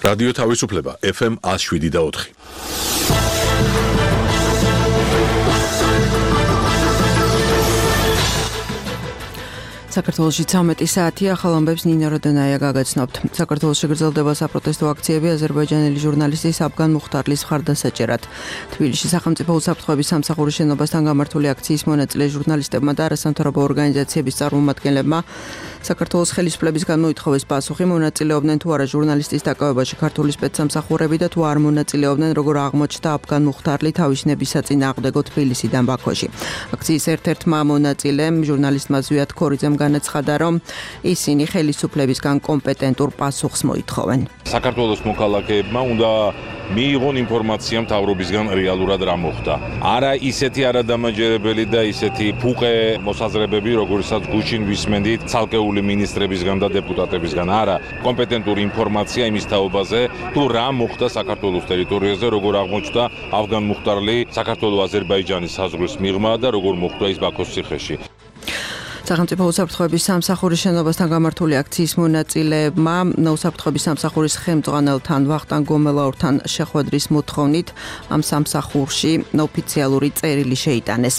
რადიო თავისუფლება FM 107.4. საქართველოში 13 საათია, ახალ ამბებს ნინა როდონაია გაგაცნობთ. საქართველოში გრძელდება საპროტესტო აქციები აზერბაიჯანელი ჟურნალისტის აფგან მუხტარლის მხარდასაჭერად. თბილისში სახელმწიფო უსაფრთხოების სამსახურის შენობასთან გამართული აქციის მონაწილე ჟურნალისტებმა და არასამთავრობო ორგანიზაციების წარმომადგენლებმა საქართველოს ხელისუფლებისგან მოითხოვეს პასუხი, მონაწილეობდნენ თუ არა ჟურნალისტის დაკავებაში ქართული სპეცსამსახურები და თუ არ მონაწილეობდნენ, როგორ აღმოჩნდა აფგან მუხტარლი თავის ნებისაწინააღმდეგო თბილისიდან ბაქოში. აქციის ერთ-ერთმა მონაწილემ ჟურნალისტმა ზვიად ქორიძემ განაცხადა, რომ ისინი ხელისუფლებისგან კომპეტენტურ პასუხს მოითხოვენ. საქართველოს მოქალაქეებმა უნდა მიიღონ ინფორმაცია მთავრობისგან რეალურად რა მოხდა. არა ისეთი არადამაჯერებელი და ისეთი ფუყე მოსაზრებები, როგორიცაც გუშინ ვისმენდით ცალკეული მინისტრებისგან და დეპუტატებისგან. არა, კომპეტენტური ინფორმაცია იმის თაობაზე, თუ რა მოხდა საქართველოს ტერიტორიაზე, როგორ აღმოჩნდა აფგან მუხტარლი საქართველო-აზერბაიჯანის საზღვრის მიღმა და როგორ მოხდა ის ბაქოს ციხეში. სახელმწიფო უსაფრთხოების სამსახურის შენობასთან გამართული აქციის მონაწილეებმა უსაფრთხოების სამსახურის ხელმძღვანელთან ვახტანგ გომელაურთან შეხვედრის მოთხოვნით ამ სამსახურში ოფიციალური წერილი შეიტანეს.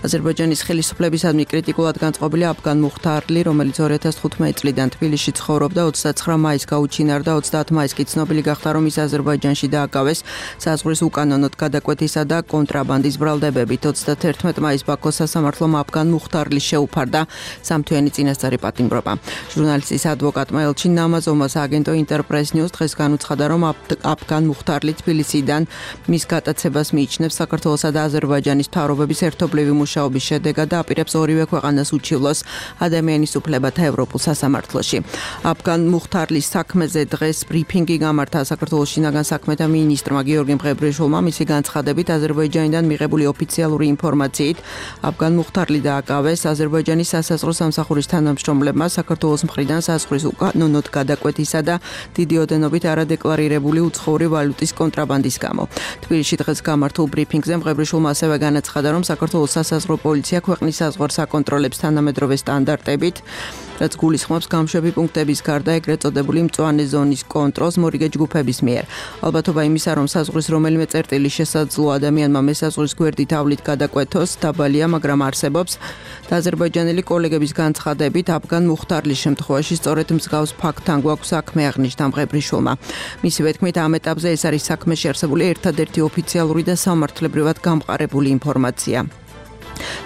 აზერბაიჯანის ხელისუფლებისადმი კრიტიკულად განწყობილი აფგან მუხტარლი, რომელიც 2015 წლიდან თბილისში ცხოვრობდა, 29 მაისს გაუჩინარდა, 30 მაისს კი ცნობილი გახდა, რომ ის აზერბაიჯანში დააკავეს საზღვრის უკანონოდ გადაკვეთისა და კონტრაბანდის ბრალდებებით. 31 მაისს ბაქოს სასამართლომ აფგან მუხტარლის შეუფარდა სამთვიანი წინასწარი პატიმრობა. ჟურნალისტის ადვოკატმა ელჩინ ნამაზოვმას აგენტო ინტერპრეს ნიუს დღეს განუცხადა, რომ აფგან მუხტარლი თბილისიდან მის გატაცებას მიიჩნევს საქართველოსა და აზერბაიჯანის მთავრობების ერთობლივი მუშაობის შედეგად და აპირებს ორივე ქვეყანას უჩივლოს ადამიანის უფლებათა ევროპულ სასამართლოში. აფგან მუხტარლის საქმეზე დღეს ბრიფინგი გამართა საქართველოს შინაგან საქმეთა მინისტრმა გიორგი მღებრიშვილმა. მისი განცხადებით, აზერბაიჯანიდან მიღებული ოფიციალური ინფორმაციით აფგან მუხტარლი დააკავეს აზერბაიჯანის სასაზღვრო სამსახურის თანამშრომლებმა საქართველოს მხრიდან საზღვრის უკანონოდ გადაკვეთისა და დიდი ოდენობით არადეკლარირებული უცხოური ვალუტის კონტრაბანდის გამო. თბილისში დღეს გამართულ ბრიფინგზე მღებრიშვილმა ასევე განაცხადა, რომ საქართველოს სასაზღვრო პოლიცია ქვეყნის საზღვარს აკონტროლებს თანამედროვე სტანდარტებით, რაც გულისხმობს გამშვები პუნქტების გარდა ეგრეთ წოდებული მწვანე ზონის კონტროლს მორიგე ჯგუფების მიერ. ალბათობა იმისა, რომ საზღვრის რომელიმე წერტილი შესაძლო ადამიანმა მესაზღვრის გვერდით ავლით გადაკვეთოს, დაბალია, მაგრამ არსებობს და აზერბაიჯანელი კოლეგების განცხადებით აფგან მუხტარლის შემთხვევაში სწორედ მსგავს ფაქტთან გვაქვს საქმე, აღნიშნა მღებრიშვილმა. მისივე თქმით, ამ ეტაპზე ეს არის საქმეში არსებული ერთადერთი ოფიციალური და სამართლებრივად გამყარებული ინფორმაცია.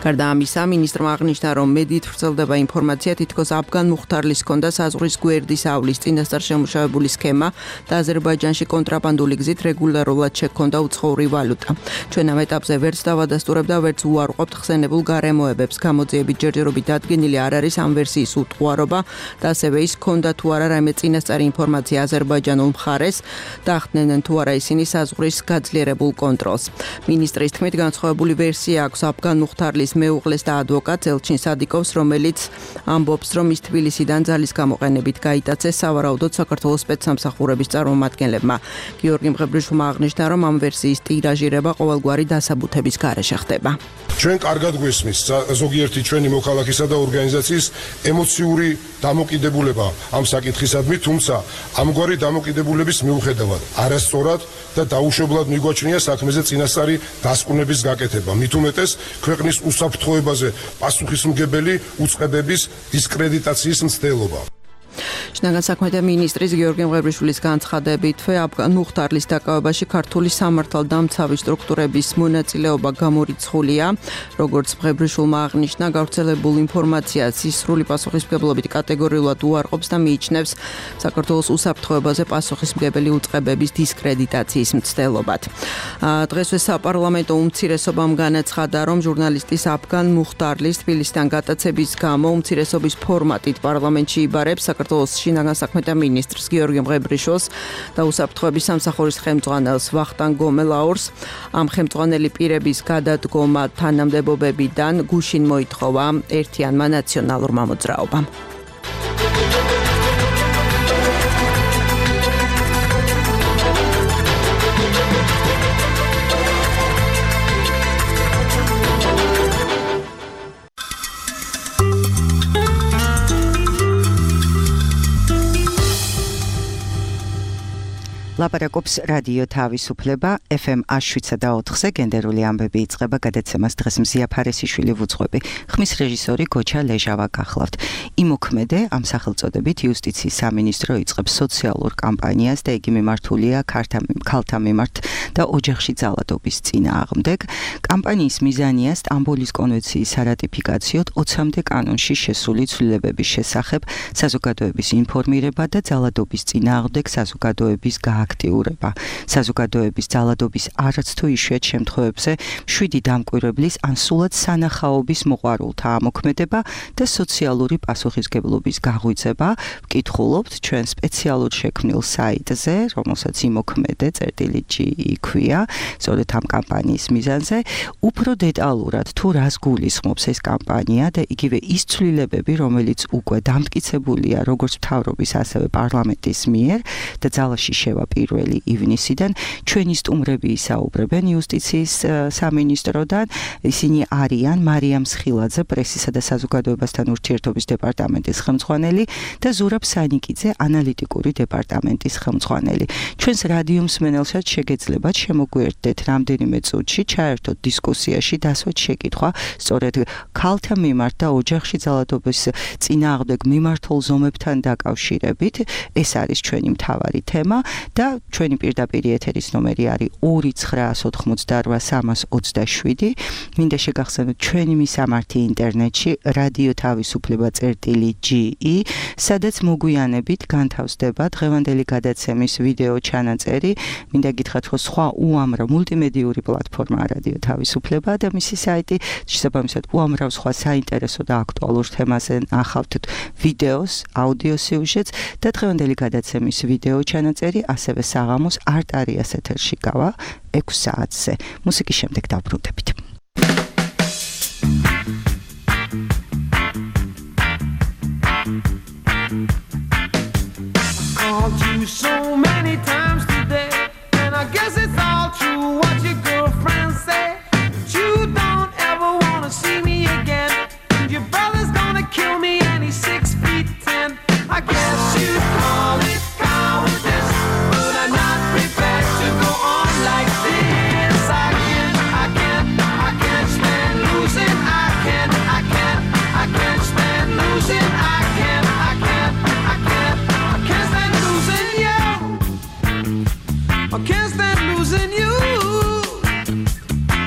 გარდა ამისა, მინისტრმა აღნიშნა, რომ მედიით ვრცელდება ინფორმაცია, თითქოს აფგან მუხტარლის ჰქონდა საზღვრის გვერდის ავლის წინასწარ შემუშავებული სქემა და აზერბაიჯანში კონტრაბანდული გზით რეგულარულად შექონდა უცხოური ვალუტა. ჩვენ ამ ეტაპზე ვერც დავადასტურებ და ვერც უარყოფთ ხსენებულ გარემოებებს. გამოძიებით ჯერჯერობით დადგენილი არ არის ამ ვერსიის უტყუარობა და ასევე ის ჰქონდა თუ არა რაიმე წინასწარი ინფორმაცია აზერბაიჯანულ მხარეს და ახდენენ თუ არა ისინი საზღვრის გაძლიერებულ კონტროლს. მინისტრის თქმით, განსხვავებული ვერსია აქვს აფგან მუხტარლის მეუღლეს და ადვოკატს ელჩინ სადიკოვს, რომელიც ამბობს, რომ ის თბილისიდან ძალის გამოყენებით გაიტაცეს სავარაუდოდ საქართველოს სპეცსამსახურების წარმომადგენლებმა. გიორგი მღებრიშვილმა აღნიშნა, რომ ამ ვერსიის ტირაჟირება ყოველგვარი დასაბუთების გარეშე ხდება. ჩვენ კარგად გვესმის ზოგიერთი ჩვენი მოქალაქისა და ორგანიზაციის ემოციური დამოკიდებულება ამ საკითხისადმი, თუმცა ამგვარი დამოკიდებულების მიუხედავად არასწორად და დაუშვებლად მიგვაჩნია საქმეზე წინასწარი დასკვნების გაკეთება. მით უმეტეს ქვეყნის უსაფრთხოებაზე პასუხისმგებელი უწყებების დისკრედიტაციის მცდელობა. შინაგან საქმეთა მინისტრის გიორგი მღებრიშვილის განცხადებით, აფგან მუხტარლის დაკავებაში ქართული სამართალდამცავი სტრუქტურების მონაწილეობა გამორიცხულია. როგორც მღებრიშვილმა აღნიშნა, გავრცელებულ ინფორმაციას ის სრული პასუხისმგებლობით კატეგორიულად უარყოფს და მიიჩნევს საქართველოს უსაფრთხოებაზე პასუხისმგებელი უწყებების დისკრედიტაციის მცდელობად. დღესვე საპარლამენტო უმცირესობამ განაცხადა, რომ ჟურნალისტის აფგან მუხტარლის თბილისიდან გატაცების გამო უმცირესობის ფორმატით პარლამენტში იბარებს საქართველოს შინაგან საქმეთა მინისტრს გიორგი მღებრიშვილს და უსაფრთხოების სამსახურის ხელმძღვანელს ვახტანგ გომელაურს. ამ ხელმძღვანელი პირების გადადგომა თანამდებობებიდან გუშინ მოითხოვა ერთიანმა ნაციონალურმა მოძრაობამ. ლაპარაკობს რადიო თავისუფლება FM 107.4-ზე გენდერული ამბები იწყება გადაცემას დღეს მზია ფარესიშვილი ვუძღვები. ხმის რეჟისორი გოჩა ლეჟავა გახლავთ. იმოქმედე ამ სახელწოდებით იუსტიციის სამინისტრო იწყებს სოციალურ კამპანიას და იგი მიმართულია ქალთა მიმართ და ოჯახში ძალადობის წინააღმდეგ. კამპანიის მიზანია სტამბოლის კონვენციის სარატიფიკაციოდ 20-მდე კანონში შესული ცვლილებების შესახებ საზოგადოების ინფორმირება და ძალადობის წინააღმდეგ საზოგადოების აქტიურება. საზოგადოების ძალადობის არც თუ იშვიათ შემთხვევებზე 7 დამკვირვებლის ან სულად სანახაობის მოყვარულთა ამოქმედება და სოციალური პასუხისგებლობის გაღვიძება. ვკითხულობთ ჩვენ სპეციალურ შექმნილ საიტზე, რომელსაც იმოქმედე წერტილი.g იქვია, სწორედ ამ კამპანიის მიზანზე, უფრო დეტალურად თუ რას გულისხმობს ეს კამპანია და იგივე ის ცვლილებები, რომელიც უკვე დამტკიცებულია როგორც მთავრობის, ასევე პარლამენტის მიერ და ძალაში შევა 1 ივნისიდან ჩვენი სტუმრები ისაუბრებენ იუსტიციის სამინისტროდან. ისინი არიან მარიამ სხილაძე, პრესისა და საზოგადოებასთან ურთიერთობის დეპარტამენტის ხელმძღვანელი და ზურაბ სანიკიძე, ანალიტიკური დეპარტამენტის ხელმძღვანელი. ჩვენს რადიო მსმენელსაც შეგეძლებათ შემოგვიერთდეთ რამდენიმე წუთში, ჩაერთოთ დისკუსიაში, დასვათ შეკითხვა სწორედ ქალთა მიმართ და ოჯახში ძალადობის წინააღმდეგ მიმართულ ზომებთან დაკავშირებით. ეს არის ჩვენი მთავარი თემა და ჩვენი პირდაპირ ეთერის ნომერი არის 2988327. მინდა შეგახსენოთ ჩვენი მისამართი ინტერნეტში რადიო თავისუფლება წერტილი.ge, სადაც მოგვიანებით განთავსდება დღევანდელი გადაცემის ვიდეო ჩანაწერი. მინდა გითხრათ, რომ სხვა უამრავ მულტიმედიური პლატფორმაა რადიო თავისუფლება და მისი საიტი, შესაბამისად უამრავ სხვა საინტერესო და აქტუალურ თემაზე ნახავთ ვიდეოს, აუდიო სიუჟეტს და დღევანდელი გადაცემის ვიდეო ჩანაწერი ასევე საღამოს არტარიას ეთერში გავა 6 საათზე. მუსიკის შემდეგ დავბრუნდებით. Called you so many times today, and I guess it's all true what your girlfriends say. You don't ever want to see me again, and your brother's gonna kill me and he's 6'10". I guess you'd call it cowardice, but I'm not prepared to go on like this. I can't stand losing. I can't stand losing. I can't stand losing you. I can't stand losing you.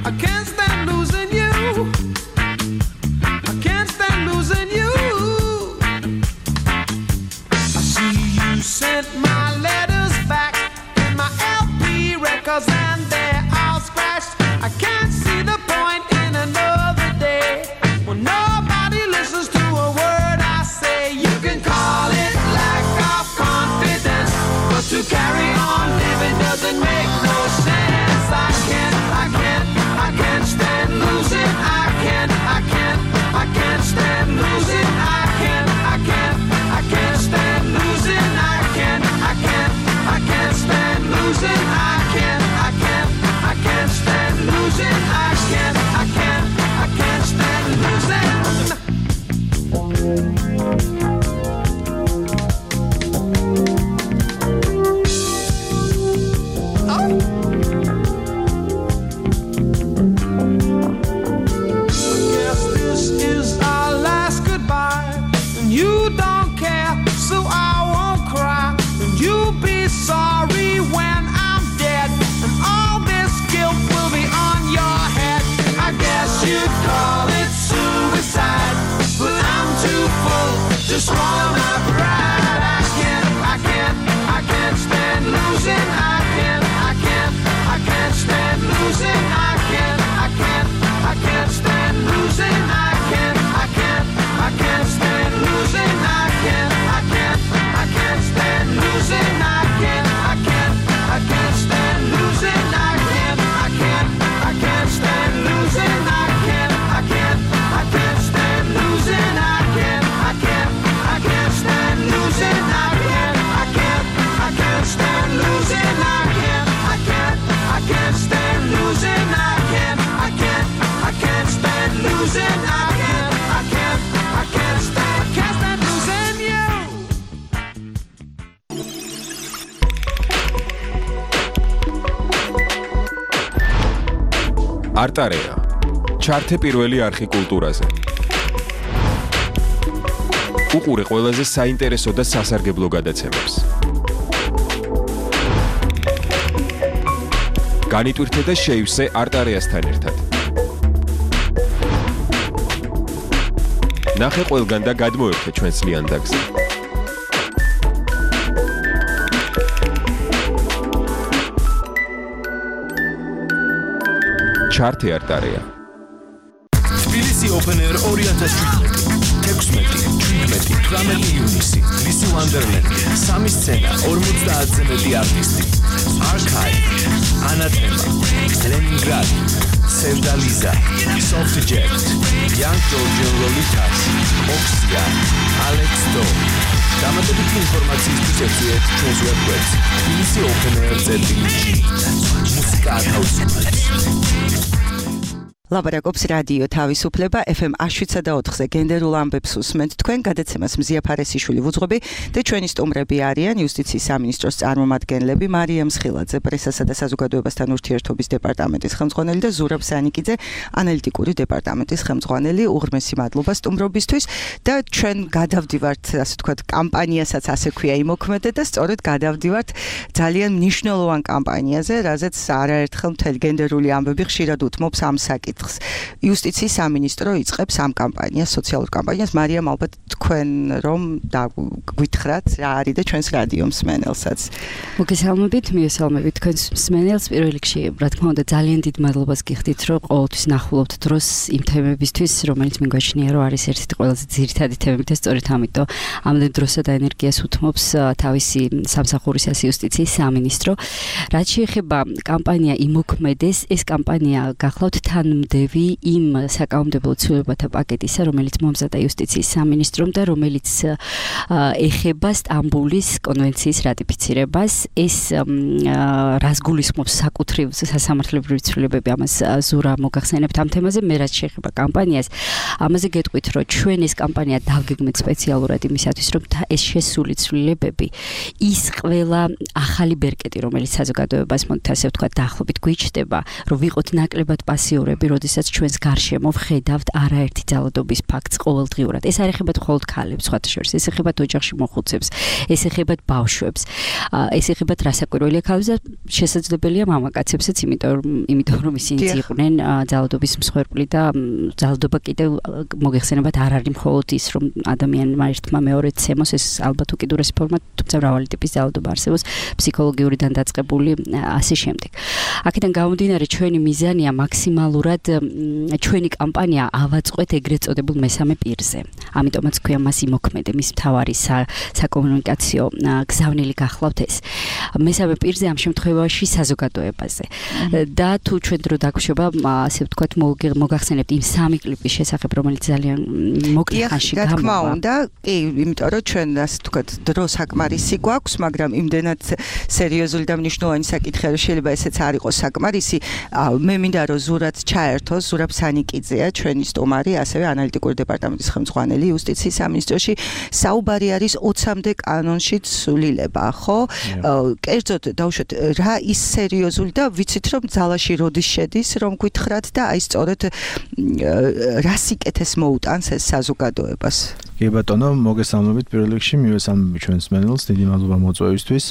I can't stand losing you. I can't stand losing you. I see you sent my letters back and my LP records and they're all scratched. I can't see the point in another day when nobody listens to a word I say. You can call it lack of confidence, but to carry on living doesn't make no sense. I can't stand losing. I can't stand losing. I can't stand losing. I can't stand losing. I can't stand losing. I can't stand losing. Guess this is our last goodbye, and you don't care, so I won't cry, and you'll be sorry when I'm dead, and all this guilt will be on your head. I guess you'd call it suicide, but I'm too full to swallow my pride. I can't stand losing. I can't stand losing. I can't stand losing. I can't stand losing. I can't stand losing. I can't stand losing. I can't stand losing. I can't stand losing. I can't არტარეა. ჩართე პირველი არხი კულტურაზე. უყურე ყველაზე საინტერესო და სასარგებლო გადაცემებს. განიტვირთე და შეივსე არტარეასთან ერთად. ნახე ყველგან და გადმოერთე ჩვენს ლიანდაგზე. ჩართე არტარეა. თბილისი Open Air 2017. 16-17 ივნისი, ლისი ვანდერლენდი, 3 სცენა, 50-ზე მეტი არტისტი. Archive, Anathema, Leningrad, Sevdaliza, Soft Jet, Young Georgian Lolitas, Oxia, Alex Do. დამატებითი ინფორმაციისთვის ეწვიეთ ჩვენს ვებგვერდს tbilisi.openair.gr. მუსიკა ათავისუფლებს. ლაპარაკობს რადიო თავისუფლება FM 107.4-ზე გენდერულ ამბებს უსმენთ თქვენ გადაცემას მზია ფარესიშვილი ვუძღვები და ჩვენი სტუმრები არიან იუსტიციის სამინისტროს წარმომადგენლები მარიამ მსხილაძე პრესასა და საზოგადოებასთან ურთიერთობის დეპარტამენტის ხელმძღვანელი და ზურაბ სანიკიძე ანალიტიკური დეპარტამენტის ხელმძღვანელი უღრმესი მადლობა სტუმრობისთვის და ჩვენ გადავდივართ ასე ვთქვათ კამპანიასაც ასე ქვია იმოქმედე და სწორედ გადავდივართ ძალიან მნიშვნელოვან კამპანიაზე რაზეც არაერთხელ მთელი გენდერული ამბები ხშირად უთმობს ამ საკითხს იუსტიციის სამინისტრო იწყებს ამ კამპანიას, სოციალურ კამპანიას. მარიამ, ალბათ თქვენ რომ გვითხრათ რა არის და ჩვენს რადიო მსმენელსაც. მოგესალმებით, მიესალმებით თქვენს მსმენელს. პირველ რიგში, რა თქმა უნდა, ძალიან დიდ მადლობას გიხდით, რომ ყოველთვის ნახულობთ დროს იმ თემებისთვის, რომელიც მიგვაჩნია, რომ არის ერთ-ერთი ყველაზე ძირითადი თემები და სწორედ ამიტომ ამდენ დროსა და ენერგიას უთმობს თავისი სამსახურის იუსტიციის სამინისტრო. რაც შეეხება კამპანია იმოქმედეს, ეს კამპანია გახლავთ თანმდევი იმ საკანონმდებლო ცვლილებათა პაკეტისა, რომელიც მომზადა იუსტიციის სამინისტრომ და რომელიც ეხება სტამბულის კონვენციის რატიფიცირებას. ეს რას გულისხმობს საკუთრივ სასამართლებრივი ცვლილებები, ამას ზურა მოგახსენებთ ამ თემაზე. მე რაც შეეხება კამპანიას, ამაზე გეტყვით, რომ ჩვენ ეს კამპანია დავგეგმეთ სპეციალურად იმისათვის, რომ ეს შესული ცვლილებები, ის ყველა ახალი ბერკეტი, რომელიც საზოგადოებას მოდით ასე ვთქვათ, დაახლოებით გვიჩნდება, რომ ვიყოთ ნაკლებად პასიურები, როდესაც ჩვენს გარშემო ვხედავთ არაერთი ძალადობის ფაქტს ყოველდღიურად. ეს არ ეხება მხოლოდ ქალებს, სხვათა შორის, ეს ეხება ოჯახში მოხუცებს, ეს ეხება ბავშვებს, ეს ეხება რასაკვირველია ქალებს და შესაძლებელია მამაკაცებსაც, იმიტომ რომ ისინი იყვნენ ძალადობის მსხვერპლი და ძალადობა კიდევ მოგეხსენებათ არ არის მხოლოდ ის, რომ ადამიანმა ერთმა მეორედ ცემოს, ეს ალბათ უკიდურესი ფორმა, თუმცა მრავალი ტიპის ძალადობა არსებობს, ფსიქოლოგიური დანაწყებული ასე შემდეგ. აქედან გამომდინარე ჩვენი მიზანია მაქსიმალურად ჩვენი კამპანია ავაწყოთ ეგრეთ წოდებულ მესამე პირზე. ამიტომაც ქვია მას იმოქმედე, მის მთავარი საკომუნიკაციო გზავნილი გახლავთ ეს. მესამე პირზე ამ შემთხვევაში საზოგადოებაზე. და თუ ჩვენ დრო დაგვშობა, ასე ვთქვათ, მოგახსენებთ იმ სამი კლიპის შესახებ, რომელიც ძალიან მოკლე ხანში გამოვა. რა თქმა უნდა, კი, იმიტომ რომ ჩვენ ასე ვთქვათ, დრო საკმარისი გვაქვს, მაგრამ იმდენად სერიოზული და მნიშვნელოვანი საკითხია, რომ შეიძლება ესეც არ იყოს საკმარისი. მე მინდა რომ ზურად ჩაერთოს, ზურაბ სანიკიძეა ჩვენი სტუმარი, ასევე ანალიტიკური დეპარტამენტის ხელმძღვანელი იუსტიციის სამინისტროში. საუბარი არის 20-მდე კანონში ცვლილება, ხო? კერძოდ დავუშვათ, რა ის სერიოზული და ვიცით რომ ძალაში როდის შედის, რომ გითხრათ და აი სწორედ რა სიკეთეს მოუტანს ეს საზოგადოებას. კი ბატონო, მოგესალმებით პირველ რიგში, მივესალმები ჩვენს მსმენელს, დიდი მადლობა მოწვევისთვის.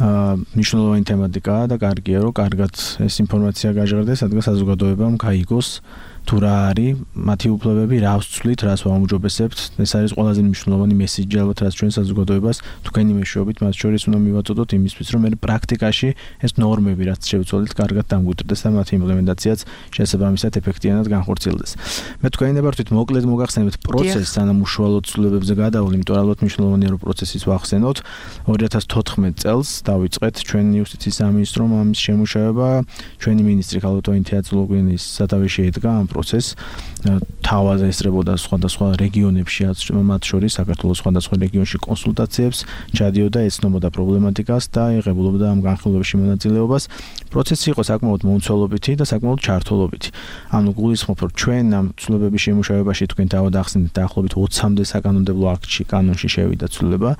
მნიშვნელოვანი თემატიკაა და კარგია, რომ კარგად ეს ინფორმაცია გაჟღერდეს, რადგან საზოგადოებამ გაიგოს თუ რა არის მათი უფლებები, რა ვცვლით, რას ვაუმჯობესებთ. ეს არის ყველაზე მნიშვნელოვანი მესიჯი ალბათ, რაც ჩვენ საზოგადოებას თქვენი მეშვეობით მათ შორის უნდა მივაწოდოთ იმისთვის, რომ მე პრაქტიკაში ეს ნორმები, რაც შევცვალეთ, კარგად დამგვიტყდეს და მათი იმპლემენტაციაც შესაბამისად ეფექტიანად განხორციელდეს. მე თქვენი ვართ მოკლედ მოგახსენებთ პროცესს, სანამ უშუალოდ ცვლილებებზე გადავალ, იმიტომ რომ ალბათ მნიშვნელოვანია რომ პროცესის ვახსენოთ. 2014 წელს დავიწყეთ ჩვენი იუსტიციის სამინისტრომ ამის შემუშავება, ჩვენი მინისტრი ქალბატონი თეატრულოგინის სათავეში ედგა ამ პროცესს თავაზე ესწრებოდა სხვადასხვა რეგიონებში, მათ შორის საქართველოს სხვადასხვა რეგიონში კონსულტაციებს, ჩადიოდა, ეცნობოდა პრობლემატიკას და იღებულობდა ამ განხილვებში მონაწილეობას. პროცესი იყო საკმაოდ მომცველობითი და საკმაოდ ჩართულობითი. ანუ გულისხმობ, რომ ჩვენ ამ ცვლილებების შემუშავებაში თქვენ დავადახსნით დაახლოებით 20-მდე საკანონმდებლო აქტში, კანონში შევიდა ცვლილება.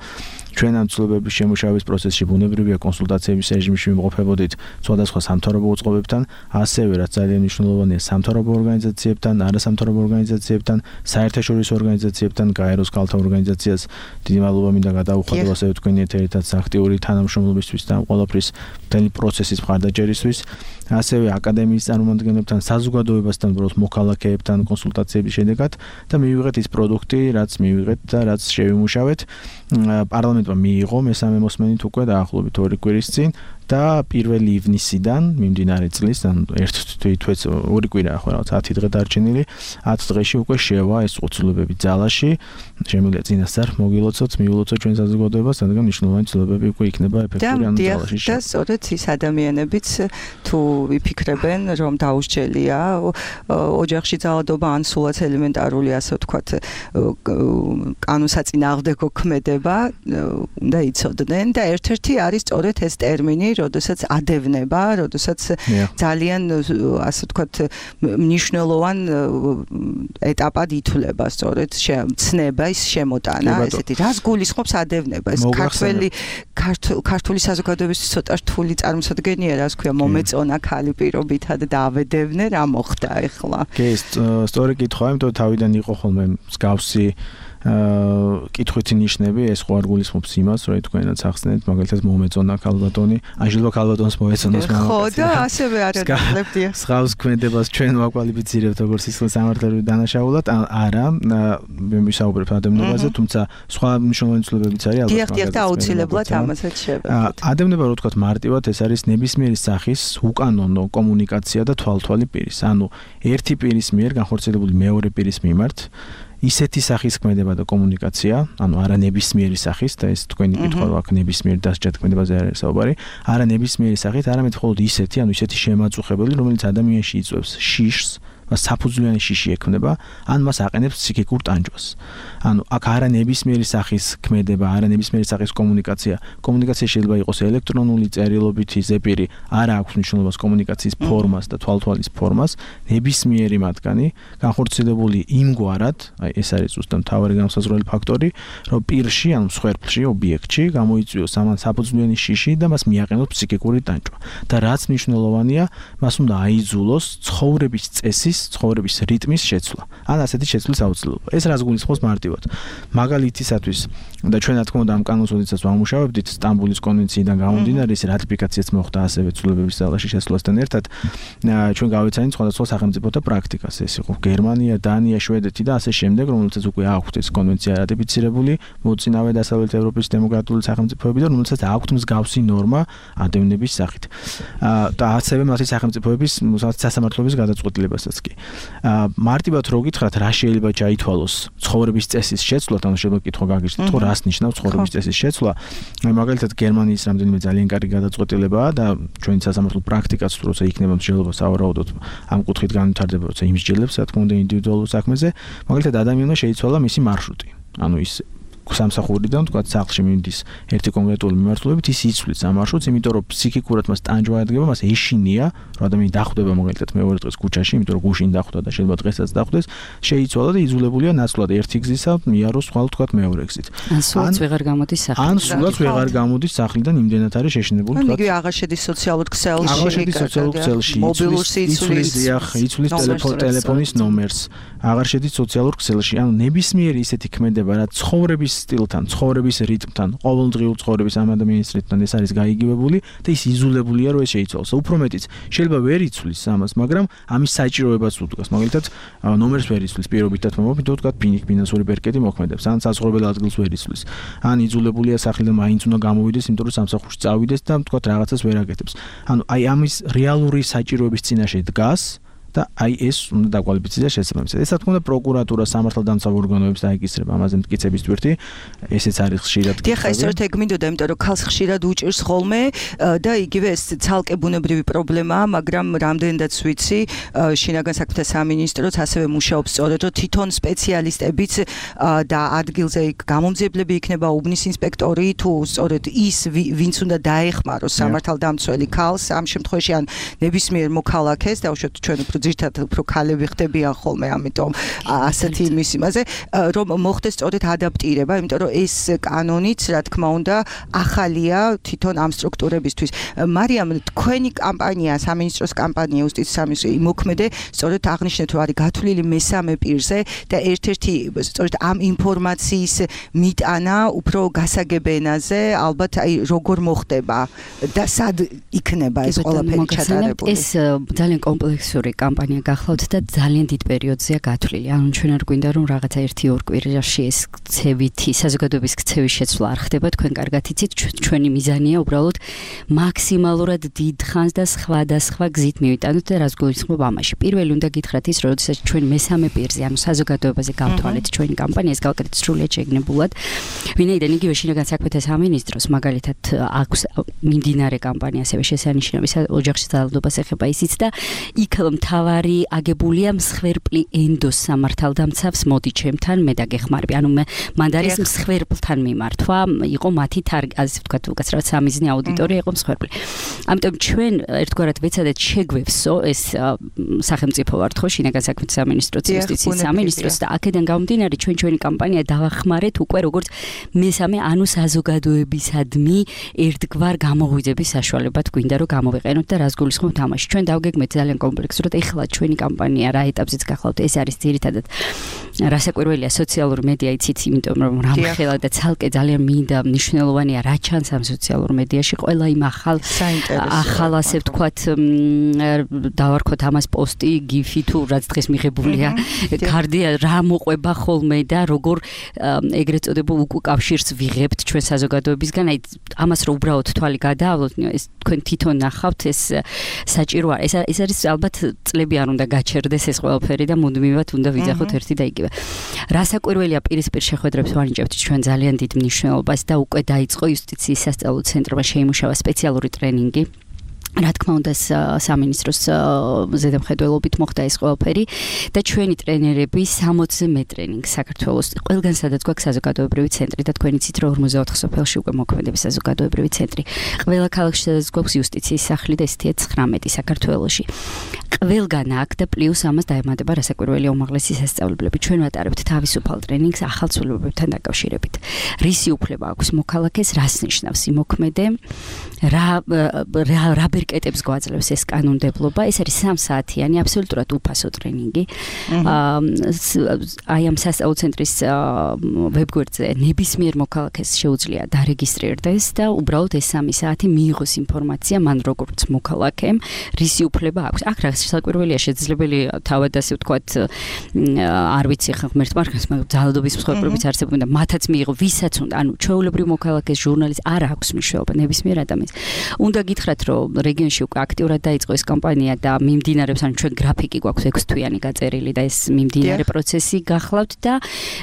ჩვენ ამ ცვლილებების შემუშავების პროცესში ბუნებრივია კონსულტაციების რეჟიმში ვიმყოფებოდით სხვადასხვა სამთავრობო უწყობებთან, ასევე რაც ძალიან მნიშვნელოვანია სამთავრობო ორგანიზაციებთან, არასამთავრობო ორგანიზაციებთან, საერთაშორისო ორგანიზაციებთან, გაეროს ქალთა ორგანიზაციას დიდი მადლობა მინდა გადაუხადო ასევე თქვენი ერთ-ერთად აქტიური თანამშრომლობისთვის და ამ ყველაფრის მთელი პროცესის მხარდაჭერისთვის. ასევე აკადემიის წარმომადგენლებთან, საზოგადოებასთან, უბრალოდ მოქალაქეებთან კონსულტაციების შედეგად და მივიღეთ ის პროდუქტი, რაც მივიღეთ და რაც შევიმუშავეთ. პარლამენტმა მიიღო მესამე მოსმენით უკვე დაახლოებით 2 კვირის წინ და 1 ივნისიდან მიმდინარე წლის, ანუ ერთ თვეც 2 კვირაა ხო რაღაც 10 დღე დარჩენილი, 10 დღეში უკვე შევა ეს ცვლილებები ძალაში. შემიძლია წინასწარ მოგილოცოთ, მიულოცოთ ჩვენ საზოგადოებას, რადგან მნიშვნელოვანი ცვლილებები უკვე იქნება ეფექტური ანუ ძალაში. და სწორედ ის ადამიანებიც თუ ვიფიქრებენ, რომ დაუსჯელია ოჯახში ძალადობა ან სულაც ელემენტარული, ასე ვთქვათ, კანონსაწინააღმდეგო ქმედება, უნდა იცოდნენ და ერთ-ერთი არის სწორედ ეს ტერმინი, როდესაც ადევნება, როდესაც ძალიან, ასე ვთქვათ, მნიშვნელოვან ეტაპად ითვლება სწორედ ცნება ის შემოტანა, ესეთი რას გულისხმობს ადევნება? ეს ქართული საზოგადოებისთვის ცოტა რთული წარმოსადგენია, რას ქვია, მომეწონა ქალი პირობითად და ავედევნე, რა მოხდა ახლა? კი, სწორი კითხვა, იმიტომ რომ თავიდან იყო ხოლმე მსგავსი კითხვითი ნიშნები, ეს ხო არ გულისხმობს იმას, რომ თქვენაც ახსნეთ, მაგალითად მომეწონა ქალბატონი, აჟილვა ქალბატონს მოეწონოს მამაკაცი. ხო, და ასევე არ აღლებდია. სხავს ქმედებას ჩვენ ვაკვალიფიცირებთ როგორც სისხლის სამართლებრივ დანაშაულად, არა, ვისაუბრებ ადევნებაზე, თუმცა სხვა მნიშვნელოვანი ცვლილებებიც არის ალბათ. დიახ, და აუცილებლად ამასაც შევეცდით. ადევნება რო ვთქვათ მარტივად, ეს არის ნებისმიერი სახის უკანონო კომუნიკაცია და თვალთვალი პირის. ანუ ერთი პირის მიერ განხორციელებული მეორე პირის მიმართ ისეთი სახის ქმედება და კომუნიკაცია, ანუ არა ნებისმიერი სახის და ეს თქვენი კითხვა რო აქ ნებისმიერ დასჯად ქმედებაზე არის საუბარი, არა ნებისმიერი სახით, არამედ მხოლოდ ისეთი, ანუ ისეთი შემაწუხებელი, რომელიც ადამიანში იწვევს შიშს, საფუძვლიანი შიში ექმნება, ან მას აყენებს ფსიქიკურ ტანჯვას. ანუ აქ არა ნებისმიერი სახის ქმედება, არა ნებისმიერი სახის კომუნიკაცია. კომუნიკაცია შეიძლება იყოს ელექტრონული, წერილობითი, ზეპირი, არა აქვს მნიშვნელობას კომუნიკაციის ფორმას და თვალთვალის ფორმას, ნებისმიერი მათგანი განხორციელებული იმგვარად, აი ეს არის ზუსტად მთავარი განსაზღვრელი ფაქტორი, რომ პირში, ანუ მსხვერპლში, ობიექტში გამოიწვიოს ამან საფუძვლიანი შიში და მას მიაყენოს ფსიქიკური ტანჯვა. და რაც მნიშვნელოვანია, მას უნდა აიძულოს ცხოვრების წესის, ცხოვრების რიტმის შეცვლა. ან ასეთი შეცვლის აუცილებლობა. ეს რას გულისხმობს მარტივად. მაგალითისათვის და ჩვენ რა თქმა უნდა ამ კანონს როდესაც ვამუშავებდით სტამბულის კონვენციიდან გამომდინარე, ეს რატიფიკაციაც მოხდა ასევე ცვლილებების ძალაში შესვლასთან ერთად. ჩვენ გავეცანით სხვადასხვა სახელმწიფოთა პრაქტიკას. ეს იყო გერმანია, დანია, შვედეთი და ასე შემდეგ, რომელთაც უკვე აქვთ ეს კონვენცია რატიფიცირებული, მოწინავე დასავლეთ ევროპის დემოკრატიული სახელმწიფოები და რომელთაც აქვთ მსგავსი ნორმა ადევნების სახით. და ასევე მათი სახელმწიფოების სასამართლოების გადაწყვეტილებასაც კი. მარტივად რო გითხრათ, რა შეიძლება ჩაითვალოს ცხოვრების წესის შეცვლა, ანუ შეიძლება კითხვა გაგიჩნდეთ, ხო რას ნიშნავს ცხოვრების წესის შეცვლა. მაგალითად გერმანიის რამდენიმე ძალიან კარგი გადაწყვეტილებაა და ჩვენი სასამართლო პრაქტიკაც როცა იქნება მსჯელობა სავარაუდოდ ამ კუთხით განვითარდება, როცა იმსჯელებს, რა თქმა უნდა, ინდივიდუალურ საქმეზე, მაგალითად ადამიანმა შეიცვალა მისი მარშრუტი. ანუ ის სამსახურიდან თქვა სახლში მიდის ერთი კონკრეტული მიმართულებით, ის იცვლის ამ მარშრუტს, იმიტომ რომ ფსიქიკურად მას ტანჯვა ადგება, მას ეშინია, რომ ადამიანი დახვდება მაგალითად მეორე დღეს ქუჩაში, იმიტომ რომ გუშინ დახვდა და შეიძლება დღესაც დახვდეს, შეიცვალა და იძულებულია ნაცვლად ერთი გზისა მიაროს ხვალ თქვა მეორე გზით. ან სულაც ვეღარ გამოდის სახლიდან. ან სულაც ვეღარ გამოდის სახლიდან, იმდენად არის შეშინებული თქვა. ანუ იგი აღარ შედის სოციალურ ქსელში, აღარ შედის სოციალურ ქსელში, იცვლის ტელეფონის ნომერს, აღარ შედის სოციალურ ქსელში. ანუ ნებისმიერი ისეთი ქმედება, რაც ცხოვრების სტილთან, ცხოვრების რიტმთან, ყოველდღიურ ცხოვრების ამ ადამიანის რიტმთან ეს არის გაიგივებული და ის იზოლებულია რომ ეს შეიცვალოს. უფრო მეტიც შეიძლება ვერ იცვლის ამას, მაგრამ ამის საჭიროებას უდგას. მაგალითად, ნომერს ვერ იცვლის პირობითად მომობ, თუ თქვა ფინანსური ბერკეტი მოქმედებს, ან საზღვრებელ ადგილს ვერ იცვლის. ან იზოლებულია სახლიდან, მაინც უნდა გამოვიდეს, იმიტომ რომ სამსახურში წავიდეს და თქვა რაღაცას ვერ აკეთებს. ანუ აი ამის რეალური საჭიროების წინაშე დგას და აი ეს უნდა დაკვალიფიცირდეს შესაბამისად. ეს რა თქმა უნდა პროკურატურა სამართალდამცავ ორგანოებს დაეკისრება ამაზე მტკიცების თვირთი, ესეც არის ხშირად. დიახ, ეს ერთ ეგ მინდოდა, იმიტომ რომ ქალს ხშირად უჭირს ხოლმე და იგივე ეს ცალკე ბუნებრივი პრობლემაა, მაგრამ რამდენადაც ვიცი, შინაგან საქმეთა სამინისტროც ასევე მუშაობს სწორედ, რომ თვითონ სპეციალისტებიც და ადგილზე გამომძიებლები იქნება უბნის ინსპექტორი თუ სწორედ ის ვინც უნდა დაეხმაროს სამართალდამცველი ქალს ამ შემთხვევაში ან ნებისმიერ მოქალაქეს და უშუალოდ ჩვენ ძირითადად უფრო ქალები ხდებიან ხოლმე, ამიტომ ასეთი იმის იმაზე, რომ მოხდეს სწორედ ადაპტირება, იმიტომ რომ ეს კანონიც, რა თქმა უნდა, ახალია თვითონ ამ სტრუქტურებისთვის. მარიამ, თქვენი კამპანია, სამინისტროს კამპანია, იუსტიციის სამინისტრო იმოქმედე, სწორედ აღნიშნეთ, რომ არის გათვლილი მესამე პირზე და ერთ-ერთი სწორედ ამ ინფორმაციის მიტანა უფრო გასაგებ ენაზე, ალბათ აი როგორ მოხდება და სად იქნება ეს ყველაფერი ჩატარებული. ეს ძალიან კომპლექსური კამპანია გახლავთ და ძალიან დიდ პერიოდზეა გათვლილი. ანუ ჩვენ არ გვინდა რომ რაღაცა 1-2 კვირაში ეს ქცევითი საზოგადოების ქცევის შეცვლა არ ხდება, თქვენ კარგად იცით, ჩვენი მიზანია უბრალოდ მაქსიმალურად დიდ ხანს და სხვადასხვა გზით მივიტანოთ და რას გულისხმობ ამაში. პირველი უნდა გითხრათ ის, რომ როდესაც ჩვენ მესამე პირზე, ანუ საზოგადოებაზე გავთვალეთ ჩვენი კამპანიას, გავაკეთეთ სრულიად შეგნებულად, ვინაიდან იგივე შინაგან საქმეთა სამინისტროს მაგალითად აქვს მიმდინარე კამპანია, ასევე შესანიშნავი ოჯახში ძალადობას ეხება ისიც და იქ მთავარი აგებულია მსხვერპლი ენდოს სამართალდამცავს მოდი ჩემთან მე დაგეხმარები. ანუ მანდ არის მსხვერპლთან მიმართვა, იყო მათი ასე ვთქვათ, უკაცრავად სამიზნე აუდიტორია იყო მსხვერპლი. ამიტომ ჩვენ ერთგვარად ვეცადეთ შეგვევსო ეს სახელმწიფო ვართ ხო, შინაგან საქმეთა სამინისტროც, იუსტიციის სამინისტროც და აქედან გამომდინარე ჩვენი კამპანია დავახმარეთ უკვე როგორც მესამე, ანუ საზოგადოებისადმი ერთგვარ გამოღვიძების საშუალებად გვინდა რომ გამოვიყენოთ და რას გულისხმობთ ამაში. ჩვენ დავგეგმეთ ძალიან კომპლექსურად, ეხლა ჩვენი კამპანია რა ეტაპზეც გახლავთ, ეს არის ძირითადად რასაკვირველია სოციალური მედია იცით, იმიტომ რომ რამხელა და ცალკე ძალიან მინდა მნიშვნელოვანია რა ჩანს ამ სოციალურ მედიაში, ყველა იმ ახალ ასე ვთქვათ დავარქოთ ამას პოსტი, გიფი თუ რაც დღეს მიღებულია, გარდია რა მოყვება ხოლმე და როგორ ეგრეთ წოდებულ უკავშირს ვიღებთ ჩვენ საზოგადოებისგან, აი ამას რომ უბრალოდ თვალი გადაავლოთ, ეს თქვენ თვითონ ნახავთ, ეს საჭირო არის. ეს არის ალბათ წლები არ უნდა გაჩერდეს ეს ყველაფერი და მუდმივად უნდა ვიძახოთ ერთი და იგივე. რასაკვირველია პირისპირ შეხვედრებს ვანიჭებთ ჩვენ ძალიან დიდ მნიშვნელობას და უკვე დაიწყო იუსტიციის სასწავლო ცენტრმა შეიმუშავა სპეციალური ტრენინგი. რა თქმა უნდა სამინისტროს ზედამხედველობით მოხდა ეს ყველაფერი და ჩვენი ტრენერები 60-ზე მე ტრენინგ საქართველოს ყველგან სადაც გვაქვს საზოგადოებრივი ცენტრი და თქვენ იცით რომ 44 სოფელში უკვე მოქმედებს საზოგადოებრივი ცენტრი. ყველა ქალაქში სადაც გვაქვს იუსტიციის სახლი და ესეთია 19 საქართველოში. ყველგან აქ და პლუს ამას დაემატება რასაკვირველია უმაღლესი სასწავლებლები. ჩვენ ვატარებთ თავისუფალ ტრენინგს ახალ ცვლილებებთან დაკავშირებით. რისი უფლება აქვს მოქალაქეს, რას ნიშნავს იმოქმედე, რა ბერკეტებს გვაძლევს ეს კანონმდებლობა. ეს არის 3 საათიანი აბსოლუტურად უფასო ტრენინგი. აი ამ სასწავლო ცენტრის ვებგვერდზე ნებისმიერ მოქალაქეს შეუძლია დარეგისტრირდეს და უბრალოდ ეს 3 საათი მიიღოს ინფორმაცია მან როგორც მოქალაქემ, რისი უფლება აქვს. აქ რა საკვირველია შესაძლებელი თავად ასე ვთქვათ, არ ვიცი ხა ღმერთმა რას, მაგრამ ძალადობის მსხვერპლებიც არსებობენ და მათაც მიიღო ვისაც უნდა, ანუ ჩვეულებრივ მოქალაქეს ჟურნალისტს არ აქვს მნიშვნელობა ნებისმიერ ადამიანს. უნდა გითხრათ რომ რეგიონში უკვე აქტიურად დაიწყო ეს კამპანია და მიმდინარეობს, ანუ ჩვენ გრაფიკი გვაქვს 6 თვიანი გაწერილი და ეს მიმდინარე პროცესი გახლავთ და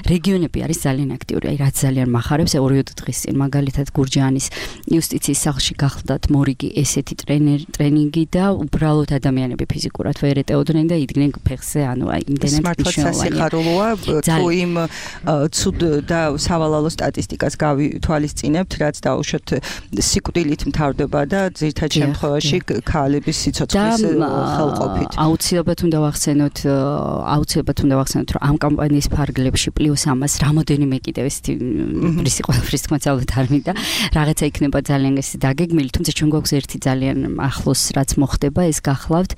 რეგიონები არის ძალიან აქტიური. აი რაც ძალიან მახარებს 2 დღის წინ მაგალითად გურჯაანის იუსტიციის სახლში გახლდათ მორიგი ესეთი ტრენინგი და უბრალოდ ადამიანები ფიზიკურად ვერ ეტეოდნენ და იდგნენ ფეხზე, ანუ აი იმდენად სიხარულოა თუ იმ ცუდ და სავალალო სტატისტიკას გავითვალისწინებთ, რაც დაუშვათ სიკვდილით მთავრდება და ძირითად შემთხვევაში ქალების სიცოცხლის ხელყოფით. აუცილებლად უნდა ვახსენოთ, რომ ამ კამპანიის ფარგლებში პლუს ამას რამოდენიმე კიდევ ესეთი რისი ყველაფრის თქმაც ალბათ არ მინდა, რაღაცა იქნება ძალიან ეს დაგეგმილი, თუმცა ჩვენ გვაქვს ერთი ძალიან ახლოს რაც მოხდება, ეს გახლავთ.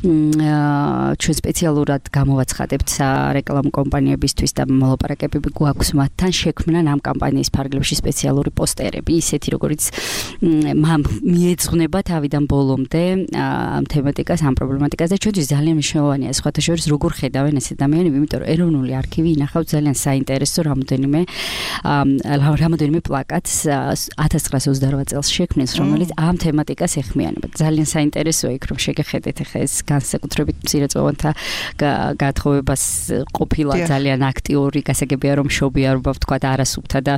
ჩვენ სპეციალურად გამოვაცხადებთ სარეკლამო კომპანიებისთვის და მოლაპარაკებები გვაქვს მათთან, შექმნან ამ კამპანიის ფარგლებში სპეციალური პოსტერები, ისეთი როგორიც მიეძღვნება თავიდან ბოლომდე ამ თემატიკას, ამ პრობლემატიკას და ჩვენთვის ძალიან მნიშვნელოვანია სხვათა შორის როგორ ხედავენ ეს ადამიანები, იმიტომ რომ ეროვნული არქივი ინახავს ძალიან საინტერესო რამოდენიმე პლაკატს 1928 წელს შექმნეს, რომელიც ამ თემატიკას ეხმიანება. ძალიან საინტერესოა იქ რომ შეგეხედეთ ახლა ეს განსაკუთრებით მცირეწლოვანთა გათხოვებას ყოფილა ძალიან აქტიური, გასაგებია რომ შობიარობა ვთქვა და არასუფთა და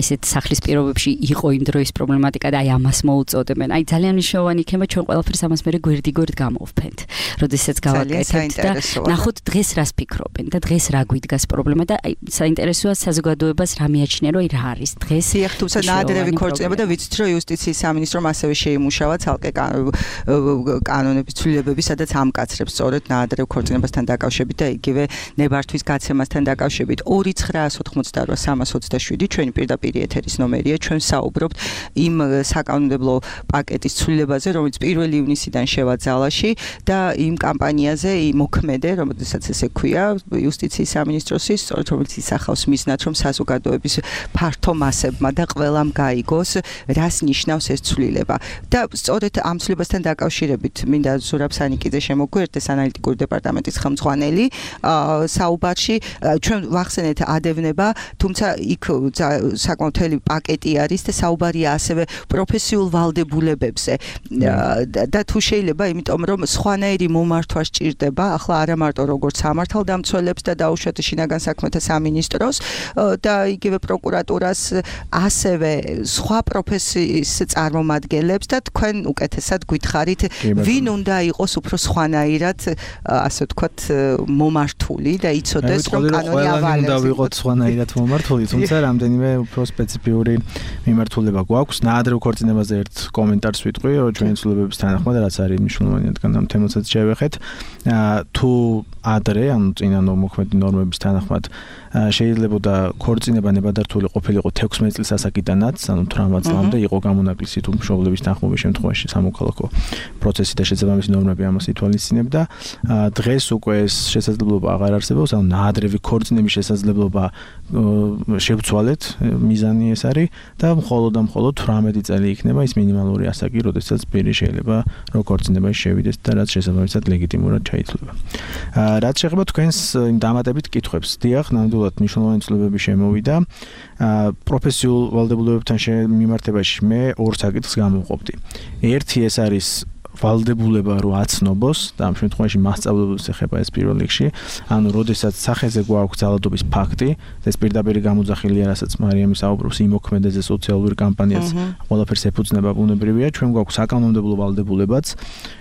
ესეთ სახლის პირობებში იყო იმ დროის პრობლემატიკა და აი ამას მოუწოდებენ. აი ძალიან მნიშვნელოვანი იქნება ჩვენ ყველაფერს ამას მერე გვერდ გავმოვფენთ. როდესაც გავაკეთებთ და ნახოთ დღეს რას ფიქრობენ და დღეს რა გვიდგას პრობლემა და აი საინტერესოა საზოგადოებას რა მიაჩნია რომ რა არის დღეს. დიახ, თუმცა ნაადრევი ქორწინება და ვიცით რომ იუსტიციის სამინისტრომ ასევე შეიმუშავა ცალკე კანონების ცვლილებები, სადაც ამკაცრებს სწორედ ნაადრევ ქორწინებასთან დაკავშირებით და იგივე ნებართვის გაცემასთან დაკავშირებით 2988327 ჩვენი პირდაპირ ეთერის ნომერია. ჩვენ საუბრობთ იმ საკანონმდებლო პაკეტის ცვლილებაზე, რომელიც 1 ივნისიდან შევა ძალაში და იმ კამპანიაზე, იმ მოქმედე, რომელსაც ესე ქვია, იუსტიციის სამინისტროსის, სწორედ რომელიც ისახავს მიზნად, რომ საზოგადოების ფართო მასებმა და ყველამ გაიგოს, რას ნიშნავს ეს ცვლილება. და სწორედ ამ ცვლილებასთან დაკავშირებით მინდა ზურაბ სანიკიძე შემოგვიერთდეს ანალიტიკური დეპარტამენტის ხელმძღვანელი საუბარში. ჩვენ ვახსენეთ ადევნება, თუმცა იქ საკმაოდ მთელი პაკეტი არის და საუბარია ასევე პროფესიულ ვალდებულებებზე. და თუ შეიძლება, იმიტომ რომ სხვანაირი მომართვა სჭირდება, ახლა არა მარტო როგორც სამართალდამცველებს და დაუშვათ შინაგან საქმეთა სამინისტროს და იგივე პროკურატურას, ასევე სხვა პროფესიის წარმომადგენლებს და თქვენ უკეთესად გითხარით, ვინ უნდა იყოს უფრო სხვანაირად, ასე ვთქვათ, მომართული და იცოდეს რომ კანონი ავალებს. უნდა ვიყოთ სხვანაირად მომართული, თუმცა რამდენიმე უფრო სპეციფიური მიმართულება გვაქვს. ნაადრევ ქორწინებაზე ერთ კომენტარს ვიტყვი, რომ ჩვენი ცვლილებების თანახმად, რაც არის მნიშვნელოვანი, რადგან ამ თემასაც შევეხეთ, თუ ადრე, ანუ წინა მოქმედი ნორმების თანახმად შეიძლებოდა ქორწინება ნებადართული ყოფილიყო 16 წლის ასაკიდანაც, ანუ 18 წლამდე იყო გამონაკლისი თუ მშობლების თანხმობის შემთხვევაში სამოქალაქო პროცესი და შესაბამისი ნორმები ამას ითვალისწინებდა. დღეს უკვე ეს შესაძლებლობა აღარ არსებობს, ანუ ნაადრევი ქორწინების შესაძლებლობა შევცვალეთ, მიზანი ეს არის და მხოლოდ 18 წელი იქნება ის მინიმალური ასაკი, როდესაც პირი შეიძლება რომ ქორწინებაში შევიდეს და რაც შესაბამისად ლეგიტიმურად ჩაითვლება. რაც შეეხება თქვენს იმ დამატებით კითხვებს, დიახ, ნამდვილად მნიშვნელოვანი ცვლილებები შემოვიდა. პროფესიულ ვალდებულებებთან მიმართებაში მე ორ საკითხს გამოვყოფდი. ერთი ეს არის ვალდებულება რო აცნობოს და ამ შემთხვევაში მასწავლებლებს ეხება ეს პირველ რიგში, ანუ როდესაც სახეზე გვაქვს ძალადობის ფაქტი, ეს პირდაპირ გამოძახილია, რასაც მარიამი საუბრობს იმ მოქმედაზე სოციალური კამპანიაც ყველაფერს ეფუძნება ბუნებრივია, ჩვენ გვაქვს საკანონმდებლო ვალდებულებაც,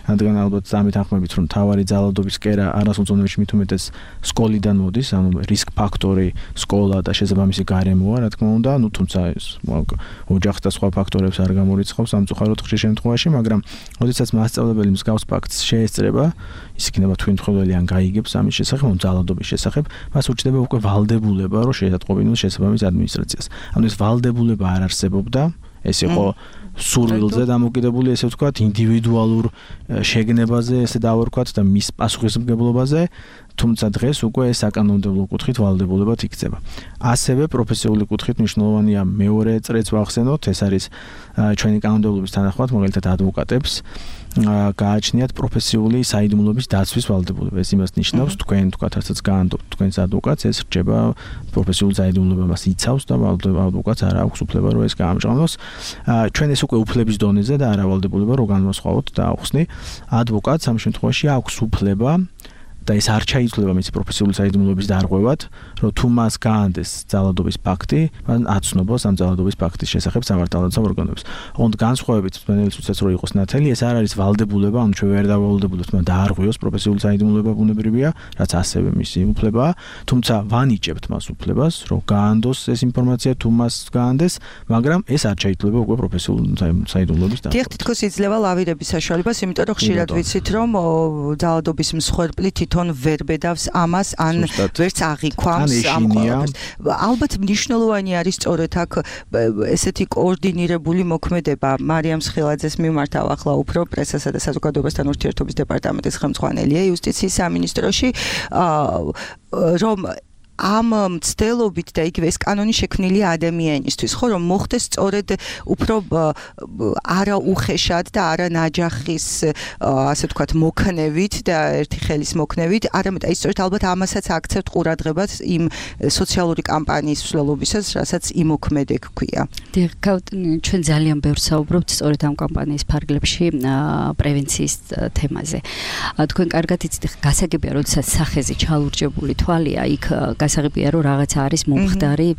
რადგან ალბათ ამით ახმებით რომ თავარი ძალადობის კერა არასოწონებში მით უმეტეს სკოლიდან მოდის, ანუ რისკ ფაქტორი სკოლა და შესაბამისი გარემოა, რა თქმა უნდა, ну თუმცა ეს ოჯახს და სხვა ფაქტორებს არ გამორიცხავს სამწუხაროდ ხშირ შემთხვევაში, მაგრამ როდესაც მასწავლებელი მსგავს ფაქტს შეესწრება, ის იქნება თვითმხილველი ან გაიგებს ამის შესახებ, ან ძალადობის შესახებ, მას უჩნდება უკვე ვალდებულება, რომ შეატყობინოს შესაბამის ადმინისტრაციას. ანუ ეს ვალდებულება არ არსებობდა, ეს იყო სურვილზე დამოკიდებული, ესე ვთქვათ, ინდივიდუალურ შეგნებაზე, ესე დავარქვათ და მის პასუხისმგებლობაზე, თუმცა დღეს უკვე ეს საკანონმდებლო კუთხით ვალდებულებად იქცება. ასევე პროფესიული კუთხით მნიშვნელოვანია მეორე წრეც ვახსენოთ, ეს არის ჩვენი კანონმდებლობის თანახმად, მაგალითად ადვოკატებს გააჩნიათ პროფესიული საიდუმლოების დაცვის ვალდებულება. ეს იმას ნიშნავს, თქვენ თქვათ, რასაც გაანდობთ თქვენს ადვოკატს, ეს რჩება პროფესიულ საიდუმლოებას იცავს და ადვოკატს არ აქვს უფლება რომ ეს გაამჟღავნოს. ჩვენ ეს უკვე უფლების დონეზე და არა ვალდებულება რომ განვასხვაოთ და ახსნი. ადვოკატს ამ შემთხვევაში აქვს უფლება და ეს არ ჩაითვლება მის პროფესიული საიდუმლოების დარღვევად, რომ თუ მას გაანდეს ძალადობის ფაქტი, მან აცნობას ამ ძალადობის ფაქტის შესახებ სამართალდამცავ ორგანოებს. ოღონდ განსხვავებით მწვანელის უცეს რო იყოს ნათელი, ეს არ არის ვალდებულება, ანუ ჩვენ ვერ დავალდებულებთ მან დაარღვიოს პროფესიული საიდუმლოება ბუნებრივია, რაც ასევე მისი უფლებაა, თუმცა ვანიჭებთ მას უფლებას, რომ გაანდოს ეს ინფორმაცია თუ მას გაანდეს, მაგრამ ეს არ ჩაითვლება უკვე პროფესიული საიდუმლოების დარღვევად. დიახ, თითქოს იძლევა ლავირების საშუალებას, იმიტომ რომ ხშირად ვიცით, რომ ძალადობის მსხვერპლი თვითონ ვერ ბედავს ამას ან ვერც აღიქვამს ამ ყველაფერს. ალბათ მნიშვნელოვანი არის სწორედ აქ ესეთი კოორდინირებული მოქმედება. მარიამ სხილაძეს მიმართავ ახლა უფრო პრესასა და საზოგადოებასთან ურთიერთობის დეპარტამენტის ხელმძღვანელია იუსტიციის სამინისტროში, რომ ამ მცდელობით და იგივე ეს კანონი შექმნილია ადამიანისთვის, ხო, რომ მოხდეს სწორედ უფრო არა უხეშად და არა ნაჯახის, ასე ვთქვათ, მოქნევით და ერთი ხელის მოქნევით, არამედ აი სწორედ ალბათ ამასაც აქცევთ ყურადღებას იმ სოციალური კამპანიის მსვლელობისას, რასაც იმოქმედე გქვია. ჩვენ ძალიან ბევრს საუბრობთ სწორედ ამ კამპანიის ფარგლებში პრევენციის თემაზე. თქვენ კარგად იცით, გასაგებია, როდესაც სახეზე ჩალურჯებული თვალია, იქ გასაგებია, რომ რაღაცა არის მომხდარი,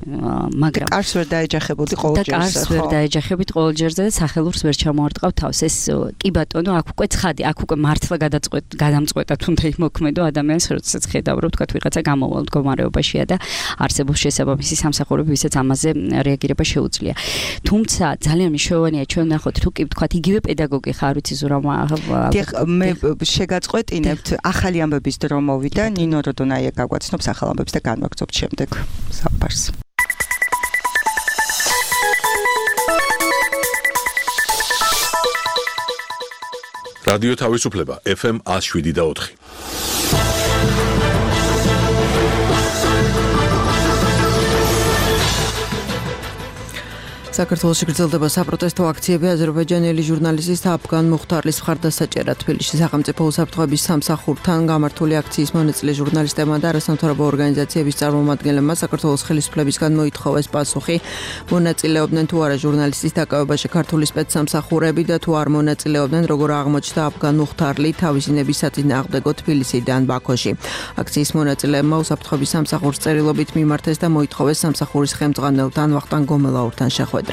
მაგრამ კარს ვერ დაეჯახებოდი ყოველ ჯერზე, ხო? კარს ვერ დაეჯახებით ყოველ ჯერზე და სახელურს ვერ ჩამოარტყავ თავს. ეს კი ბატონო, აქ უკვე ცხადი, აქ უკვე მართლა გადამწყვეტა თუნდაც იმოქმედო ადამიანს, როდესაც ხედავ, რომ თქვათ ვიღაცა გამოვალ მდგომარეობაშია და არსებობს შესაბამისი სამსახურები, ვისაც ამაზე რეაგირება შეუძლია. თუმცა ძალიან მნიშვნელოვანია ჩვენ ნახოთ, თუ კი ვთქვათ, იგივე პედაგოგი ხარ, ვიცი ზურამა. დიახ, მე შეგაწყვეტინებთ, ახალი ამბების დრო მოვიდა, ნინო როდონაია გაგვაცნობს ახალ ამბებს და განვაგრძობთ შემდეგ საუბარს. რადიო თავისუფლება FM 107.4. საქართველოში გრძელდება საპროტესტო აქციები აზერბაიჯანელი ჟურნალისტის აფგან მუხთარლის მხარდასაჭერად. თბილისში სახელმწიფო უსაფრთხოების სამსახურთან გამართული აქციის მონაწილე ჟურნალისტებმა და არასამთავრობო ორგანიზაციების წარმომადგენლებმა საქართველოს ხელისუფლებისგან მოითხოვეს პასუხი, მონაწილეობდნენ თუ არა ჟურნალისტის დაკავებაში ქართული სპეცსამსახურები და თუ არ მონაწილეობდნენ, როგორ აღმოჩნდა აფგან მუხთარლი თავისი ნებისაწინააღმდეგო თბილისიდან ბაქოში. აქციის მონაწილეებმა უსაფრთხოების სამსახურს წერილობით მიმართეს და მოითხოვეს სამსახურის ხელმძღვანელთან ვახტანგ გომელაურთან შეხვედრა.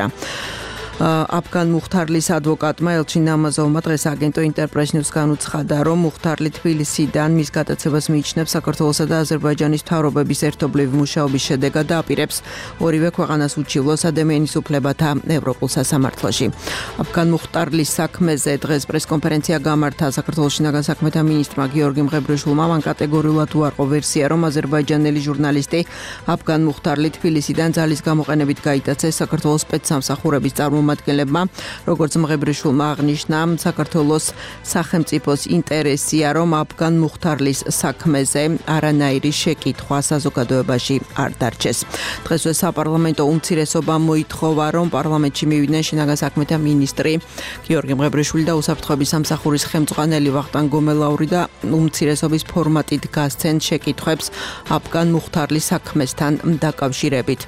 აფგან მუხთარლის ადვოკატმა ელჩინ ნამაზოვმა დღეს აგენტო ინტერპრეს ნიუსგან უცხადა, რომ მუხთარლი თბილისიდან მის გადაცემას მიიჩნევს საქართველოსა და აზერბაიჯანის მთავრობების ერთობლივი მუშაობის შედეგად და აპირებს ორივე ქვეყანას უჩივლოს ადამიანის უფლებათა ევროპულ სასამართლოში. აფგან მუხთარლის საქმეზე დღეს პრესკონფერენცია გამართა საქართველოს შინაგან საქმეთა მინისტრმა გიორგი მღებრიშვილმა. მან კატეგორიულად უარყო ვერსია, რომ აზერბაიჯანელი ჟურნალისტი აფგან მუხთარლი თბილისიდან ძალის გამოყენებით გაიტაცეს საქართველოს სპეცსამსახურების წარმომადგენლებმა, როგორც მღებრიშვილმა აღნიშნა, საქართველოს სახელმწიფოს ინტერესია, რომ აფგან მუხთარლის საქმეზე არანაირი შეკითხვა საზოგადოებაში არ დარჩეს. დღესვე საპარლამენტო უმცირესობამ მოითხოვა, რომ პარლამენტში მივიდნენ შინაგან საქმეთა მინისტრი გიორგი მღებრიშვილი და უსაფრთხოების სამსახურის ხელმძღვანელი ვახტანგ გომელაური და უმცირესობის ფორმატით გასცენ შეკითხვებს აფგან მუხთარლის საქმესთან დაკავშირებით.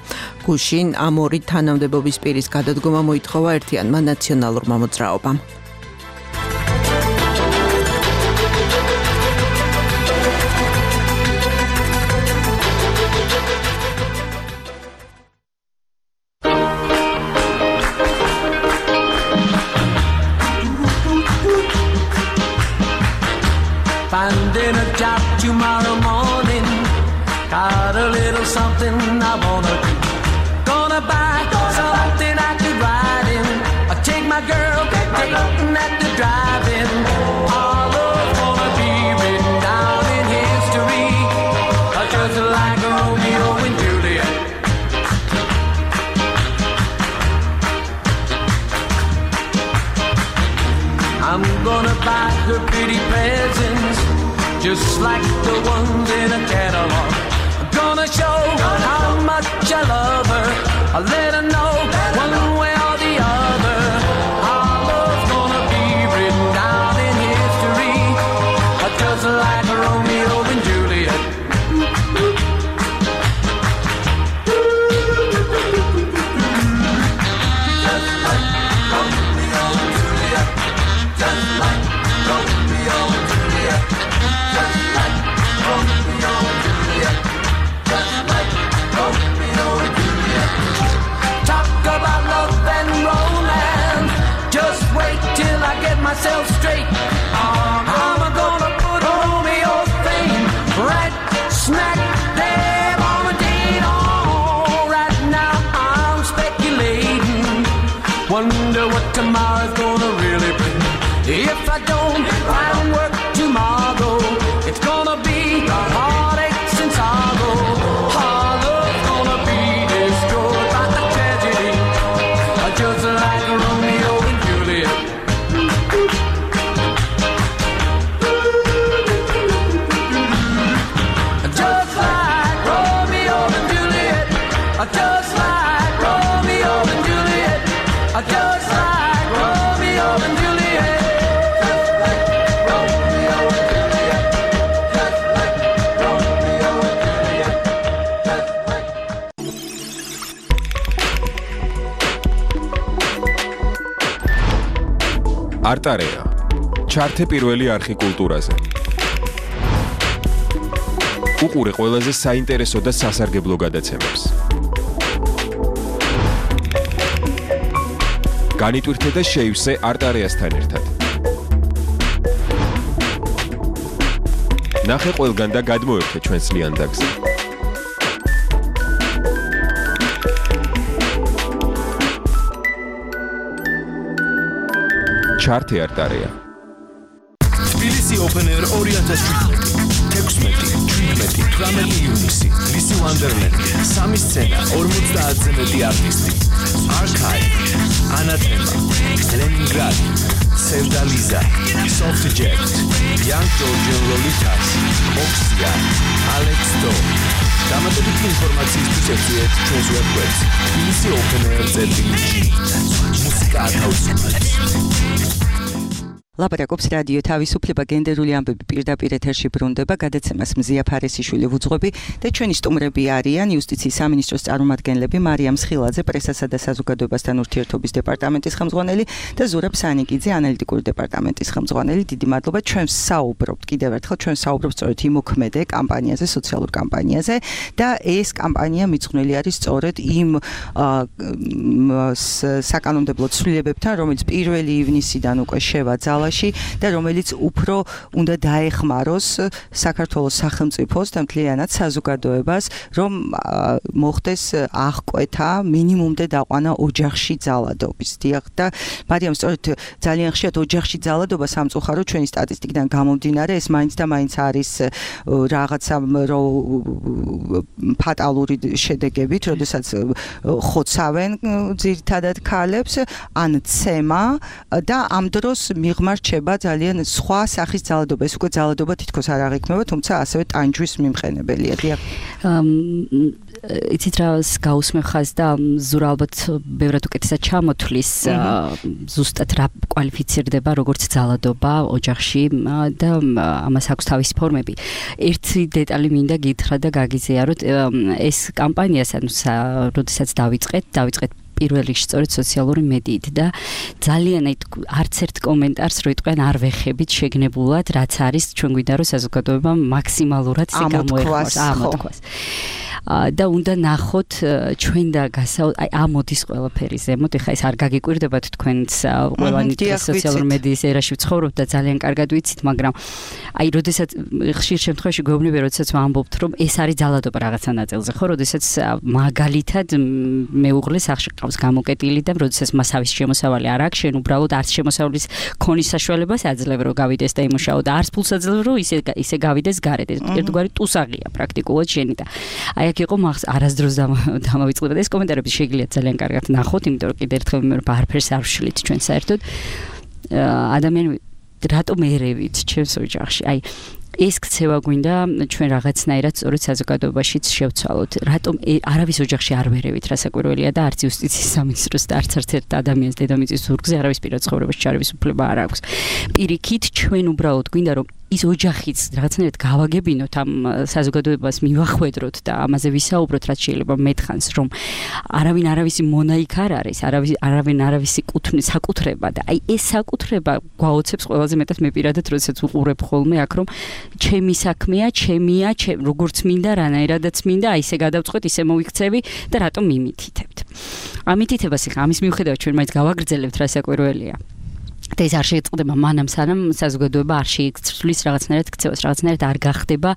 გუშინ ამ ორი თანამდებობის პირის გადადგომა მოითხოვა ერთიანმა ნაციონალურმა მოძრაობამ. Finding a job tomorrow morning, got a little something I wanna do. Gonna buy something I could ride in. I take my girl dating at the drive-in. Our love's gonna be written down in history, just like Romeo and Juliet. I'm gonna buy her pretty presents, just like the ones in a catalog. I'm gonna show how much I love her. I'll let her know one way or the other. Our love's gonna be written down in history, just like Romeo and Juliet. Just like Romeo and Juliet. Just like Romeo and Juliet. Just like Romeo and Juliet. Just like Romeo and Juliet. Talk about love and romance. Just wait till I get myself straight. I'm gonna put Romeo's fame right smack there on the date. Oh, right now I'm speculating. Wonder what tomorrow's gonna really bring. If I don't find work tomorrow, it's gonna be heartaches and sorrow. Our love's gonna be destroyed by a tragedy, just like Romeo and Juliet. Just like Romeo არტარეა. ჩართე პირველი არხი კულტურაზე. უყურე ყველაზე საინტერესო და სასარგებლო გადაცემებს. განიტვირთე და შეივსე არტარეასთან ერთად. ნახე ყველგან და გადმოერთე ჩვენს ლიანდაგზე. ჩართე არტარეა. თბილისი Open Air 2017. 16-17 ივნისი. ლისი ვანდერლენდი. სამი სცენა, 50-ზე მეტი არტისტი. Archive, Anathema, Leningrad, Sevdaliza, Soft Jet, Young Georgian Lolitas, Oxia, Alex Do. დამატებითი ინფორმაციისთვის ეწვიეთ ჩვენს ვებგვერდს tbilisi.open.air/. მუსიკა ათავისუფლებს. ლაპარაკობს რადიო თავისუფლება გენდერული ამბები პირდაპირ ეთერში ბრუნდება გადაცემას მზია ფარესიშვილი ვუძღვები და ჩვენი სტუმრები არიან იუსტიციის სამინისტროს წარმომადგენლები მარიამ სხილაძე პრესასა და საზოგადოებასთან ურთიერთობის დეპარტამენტის ხელმძღვანელი და ზურაბ სანიკიძე ანალიტიკური დეპარტამენტის ხელმძღვანელი. დიდი მადლობა. ჩვენ საუბრობთ კიდევ ერთხელ ჩვენ საუბრობთ სწორედ იმოქმედე კამპანიაზე, სოციალურ კამპანიაზე და ეს კამპანია მიძღვნილი არის სწორედ იმ საკანონმდებლო ცვლილებებთან, რომელიც 1 ივნისიდან უკვე შევა და რომელიც უფრო უნდა დაეხმაროს საქართველოს სახელმწიფოს და მთლიანად საზოგადოებას, რომ მოხდეს აღკვეთა მინიმუმდე დაყვანა ოჯახში ძალადობის. დიახ და მარიამ სწორედ ძალიან ხშირად ოჯახში ძალადობა სამწუხაროდ ჩვენი სტატისტიკიდან გამომდინარე ეს მაინც და მაინც არის რაღაცა ფატალური შედეგებით, როდესაც ხოცავენ ძირითადად ქალებს ან ცემა და ამ დროს მიღმა რჩება ძალიან სხვა სახის ძალადობა. ეს უკვე ძალადობა თითქოს არ აღიქმება, თუმცა ასევე ტანჯვის მიმყენებელია. იცით რა გაუსმევ ხაზს და ზურა ალბათ ბევრად უკეთესად ჩამოთვლის ზუსტად რა კვალიფიცირდება როგორც ძალადობა ოჯახში და ამას აქვს თავისი ფორმები. ერთი დეტალი მინდა გითხრა და გაგიზიაროთ. ეს კამპანია როდესაც დავიწყეთ 1 რიგში სწორედ სოციალური მედიით და ძალიან არც ერთ კომენტარს რო იტყვიან არ ვეხებით შეგნებულად რაც არის ჩვენ გვინდა რომ საზოგადოება მაქსიმალურად გამოეხმაროს ამოთქვას. და უნდა ნახოთ ჩვენ და ამოდის ყველაფერი ზემოთ. ეხლა ეს არ გაგიკვირდებათ თქვენც ყველანი სოციალური მედიის ერაში ვცხოვრობთ და ძალიან კარგად ვიცით, მაგრამ როდესაც ხშირ შემთხვევაში გვეუბნები, როდესაც ვამბობთ, რომ ეს არის ძალადობა რაღაცა ნაწილზე, ხო, როდესაც მაგალითად მეუღლე სახში ყავს გამოკეტილი და როდესაც მას თავის შემოსავალი არ აქვს, შენ უბრალოდ არც შემოსავლის ქონის საშუალებას აძლევ რომ გავიდეს და იმუშაო და არც ფულს აძლევ რომ ისე გავიდეს გარეთ. ერთგვარი ტუსაღია პრაქტიკულად შენი და აი აქ იყო არასდროს დამავიწყდება და ეს კომენტარები შეგიძლიათ ძალიან კარგად ნახოთ, იმიტომ რომ კიდევ ერთხელ მე არაფერს არ ვშლით ჩვენ საერთოდ ადამიანები რატომ ერევით ჩემს ოჯახში. აი ეს ქცევა გვინდა ჩვენ რაღაცნაირად სწორედ საზოგადოებაშიც შევცვალოთ. რატომ არავის ოჯახში არ ვერევით, რასაკვირველია და არც იუსტიციის სამინისტროს და არც ერთ ადამიანს დედამიწის ზურგზე არავის პირად ცხოვრებაში ჩარევის უფლება არ აქვს. პირიქით ჩვენ უბრალოდ გვინდა რომ ის ოჯახიც რაღაცნაირად გავაგებინოთ ამ საზოგადოებას მივახვედროთ და ამაზე ვისაუბროთ რაც შეიძლება მეტხანს რომ არავინ არავისი მონაიქ არ არის, არავინ არავისი საკუთრება და აი ეს საკუთრება გვაოცებს ყველაზე მეტად მე პირადად როდესაც უყურებ ხოლმე აქ რომ ჩემი საქმეა, ჩემია, როგორც მინდა, რანაირადაც მინდა, აი ესე გადავწყვეტ, ისე მოვიქცევი და რატომ მიმითითებთ. ამითითებას ხა ამის მიუხედავად ჩვენ მაინც გავაგრძელებთ რასაკვირველია. და ეს არ შეწყდება მანამ სანამ საზოგადოება არ შეიცვლის რაღაცნაირად ქცევას, რაღაცნაირად არ გახდება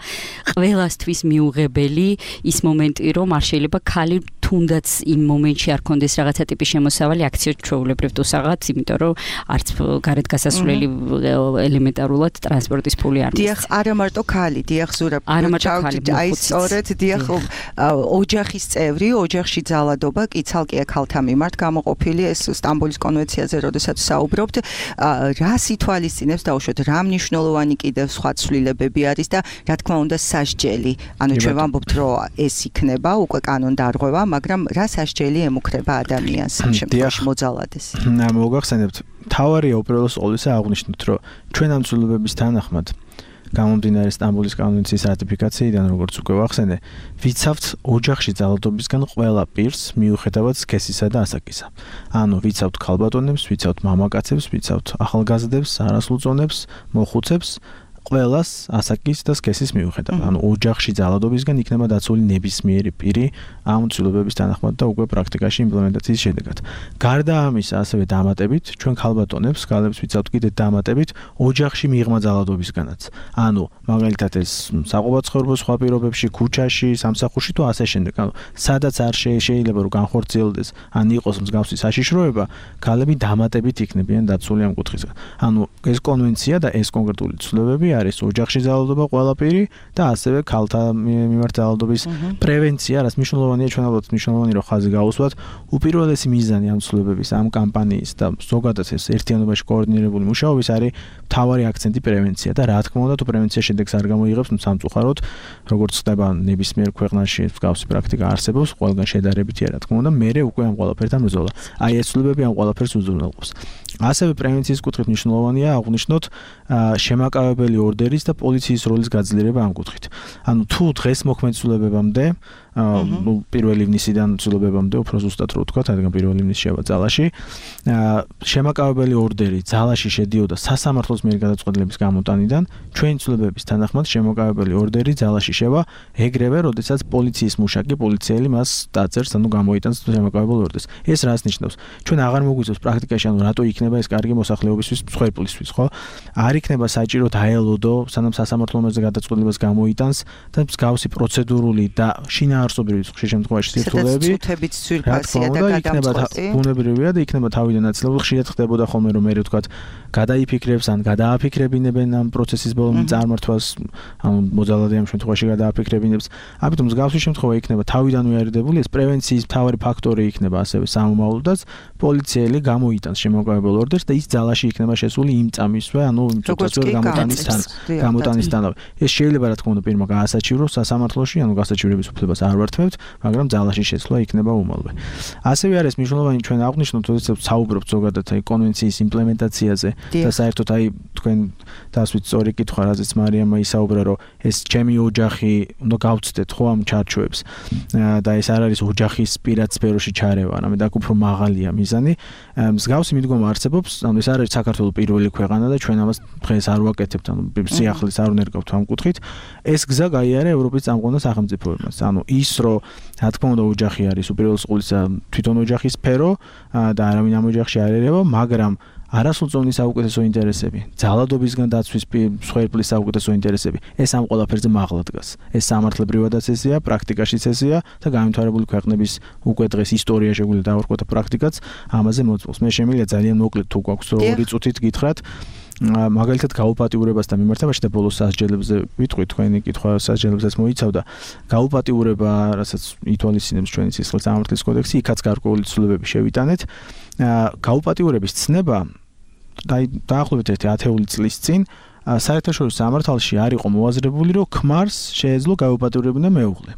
ყველასთვის მიუღებელი ის მომენტი, რომ არ შეიძლება ქალი თუნდაც იმ მომენტში არ კონდეს რაღაცა ტიპის შემოსავალი აქციო ჩვეულებრივ ტუსაღაც, იმიტომ რომ არც გარეთ გასასვლელი ელემენტარულად ტრანსპორტის ფული არ დიახ, არა მარტო ქალი, დიახ ზურაბ. აი სწორედ დიახ ოჯახის წევრი, ოჯახში ძალადობა კი ცალკე ქალთა მიმართ გამოყოფილი ეს სტამბოლის კონვენციაზე როდესაც საუბრობთ რას ითვალისწინებს დაუშვათ რა მნიშვნელოვანი კიდევ სხვა ცვლილებები არის და რა თქმა უნდა სასჯელი. ანუ ჩვენ ვამბობთ რომ ეს იქნება უკვე კანონდარღვევა, მაგრამ რა სასჯელი ემუქრება ადამიანს ამ შემთხვევაში მოძალადეს. მოგახსენებთ, თავარია უპირველეს ყოვლისა აღნიშნოთ, რომ ჩვენ ამ ცვლილებების თანახმად გამომდინარე სტამბოლის კონვენციის რატიფიკაციიდან, როგორც უკვე ვახსენე, ვიცავთ ოჯახში ძალადობისგან ყველა პირს მიუხედავად სქესისა და ასაკისა. ანუ ვიცავთ ქალბატონებს, ვიცავთ მამაკაცებს, ვიცავთ ახალგაზრდებს, არასრულწლოვნებს, მოხუცებს, ყველას ასაკის და სქესის მიუხედავად. ანუ ოჯახში ძალადობისგან იქნება დაცული ნებისმიერი პირი ამ ცვლილებების თანახმად და უკვე პრაქტიკაში იმპლემენტაციის შედეგად. გარდა ამისა, ასევე დამატებით, ჩვენ ქალბატონებს, ქალებს ვიცავთ კიდე დამატებით ოჯახში მიღმა ძალადობისგანაც. ანუ მაგალითად ეს საყოფაცხოვრებო სხვა პირობებში, ქუჩაში, სამსახურში თუ ასე შემდეგ. ანუ სადაც არ შეიძლება რომ განხორციელდეს, ან იყოს მსგავსი საშიშროება, ქალები დამატებით იქნებიან დაცული ამ კუთხისგან. ანუ ეს კონვენცია და ეს კონკრეტული ცვლილებები არის ოჯახში ძალადობა ყველაფერი და ასევე ქალთა მიმართ ძალადობის პრევენცია, რაც მნიშვნელოვანია ჩვენ ალბათ მნიშვნელოვანი რომ ხაზი გავუსვათ. უპირველესი მიზანი ამ ცვლილებების, ამ კამპანიის და ზოგადად ეს ერთიანობაში კოორდინირებული მუშაობის არის მთავარი აქცენტი პრევენცია და რა თქმა უნდა თუ პრევენცია შედეგს არ გამოიღებს, სამწუხაროდ როგორც ხდება ნებისმიერ ქვეყანაში მსგავსი პრაქტიკა არსებობს, ყველგან შედარებითია რა თქმა უნდა, მერე უკვე ამ ყველაფერთან ბრძოლა. აი ეს ცვლილებები ამ ყველაფერს უზრუნველყოფს. ასევე პრევენციის კუთხით მნიშვნელოვანია აღვნიშნოთ შემაკავებელი ორდერის და პოლიციის როლის გაძლიერება ამ კუთხით. ანუ თუ დღეს მოქმედ ცვლილებებამდე პირველ ივნისიდან ცვლილებებამდე უფრო ზუსტად რო ვთქვა, რადგან პირველ ივნისში შევა ძალაში, შემაკავებელი ორდერი ძალაში შედიოდა სასამართლოს მიერ გადაწყვეტილების გამოტანიდან, ჩვენი ცვლილებების თანახმად შემაკავებელი ორდერი ძალაში შევა ეგრევე, როდესაც პოლიციის მუშაკი, პოლიციელი მას დაწერს, ანუ გამოიტანს შემაკავებელ ორდერს. ეს რას ნიშნავს? ჩვენ აღარ მოგვიწევს პრაქტიკაში, ანუ რატო იქნება ეს კარგი მოსახლეობისთვის, მსხვერპლისთვის, ხო? არ იქნება საჭირო დაელოდო, სანამ სასამართლო მასზე გადაწყვეტილებას გამოიტანს და მსგავსი პროცედურული და შინაარსობრივი ხშირ შემთხვევაში სირთულეები ცუთებით ცვირფასია და გადამწყვეტი. ბუნებრივია და იქნება თავიდან აცილებული. ხშირად ხდებოდა ხოლმე რომ მე ვთქვათ, გადაიფიქრებს ან გადააფიქრებინებენ ამ პროცესის ბოლომდე წარმართვას, ანუ მოძალადე ამ შემთხვევაში გადააფიქრებინებს. ამიტომ მსგავსი შემთხვევა იქნება თავიდანვე არიდებული, ეს პრევენციის მთავარი ფაქტორი იქნება ასევე სამომავლოდაც პოლიციელი გამოიტანს შემოკავებელ ორდერს და ის ძალაში იქნება შესული იმ წამისვე, ანუ წუთასწორ გამოტანისთანავე. ეს შეიძლება რა თქმა უნდა პირმა გაასაჩივროს სასამართლოში, ანუ გასაჩივრების უფლებას არ ვართმევთ, მაგრამ ძალაში შესვლა იქნება უმალვე. ასევე არის მნიშვნელოვანი ჩვენ აღვნიშნოთ, როდესაც საუბრობთ ზოგადად აი კონვენციის იმპლემენტაციაზე და საერთოდ აი თქვენ დასვით სწორი კითხვა, რაზეც მარიამმა ისაუბრა, რომ ეს ჩემი ოჯახი უნდა გავცდეთ ხო ამ ჩარჩოებს და ეს არ არის ოჯახის პირად სფეროში ჩარევა, არამედ აქ უფრო მაღალია მიზანი. მსგავსი მიდგომა არსებობს, ანუ ეს არის საქართველოს პირველი ქვეყანა და ჩვენ ამას დღეს არ ვაკეთებთ, ანუ სიახლეს არ უნერგავთ ამ კუთხით. ეს გზა გაიარა ევროპის წამყვან სახელმწიფოებმაც. ანუ ის რომ რა თქმა უნდა ოჯახი არის უპირველეს ყოვლისა თვითონ ოჯახის სფერო და არავინ ამ ოჯახში არ ერევა, მაგრამ არასრულწლოვანი საუკეთესო ინტერესები, ძალადობისგან დაცვის მსხვერპლის საუკეთესო ინტერესები, ეს ამ ყველაფერზე მაღლა დგას. ეს სამართლებრივადაც ესეა, პრაქტიკაშიც ესეა და განვითარებული ქვეყნების უკვე დღეს ისტორია შეგვიძლია დავარქვათ და პრაქტიკაც ამაზე მოწმობს. მე შემიძლია ძალიან მოკლედ თუ გვაქვს 2 წუთით გითხრათ, მაგალითად გაუპატიურებასთან მიმართებაში და ბოლოს სასჯელებზე ვიტყვი, თქვენი კითხვა სასჯელებსაც მოიცავდა. გაუპატიურება, რასაც ითვალისწინებს ჩვენი სისხლის სამართლის კოდექსი, იქაც გარკვეული ცვლილებები შევიტანეთ. გაუპატიურების ცნება დაახლოებით 10 წლის წინ საერთაშორისო სამართალში არ იყო მოაზრებული, რომ ქმარს შეეძლო გაუპატიურებინა მეუღლე.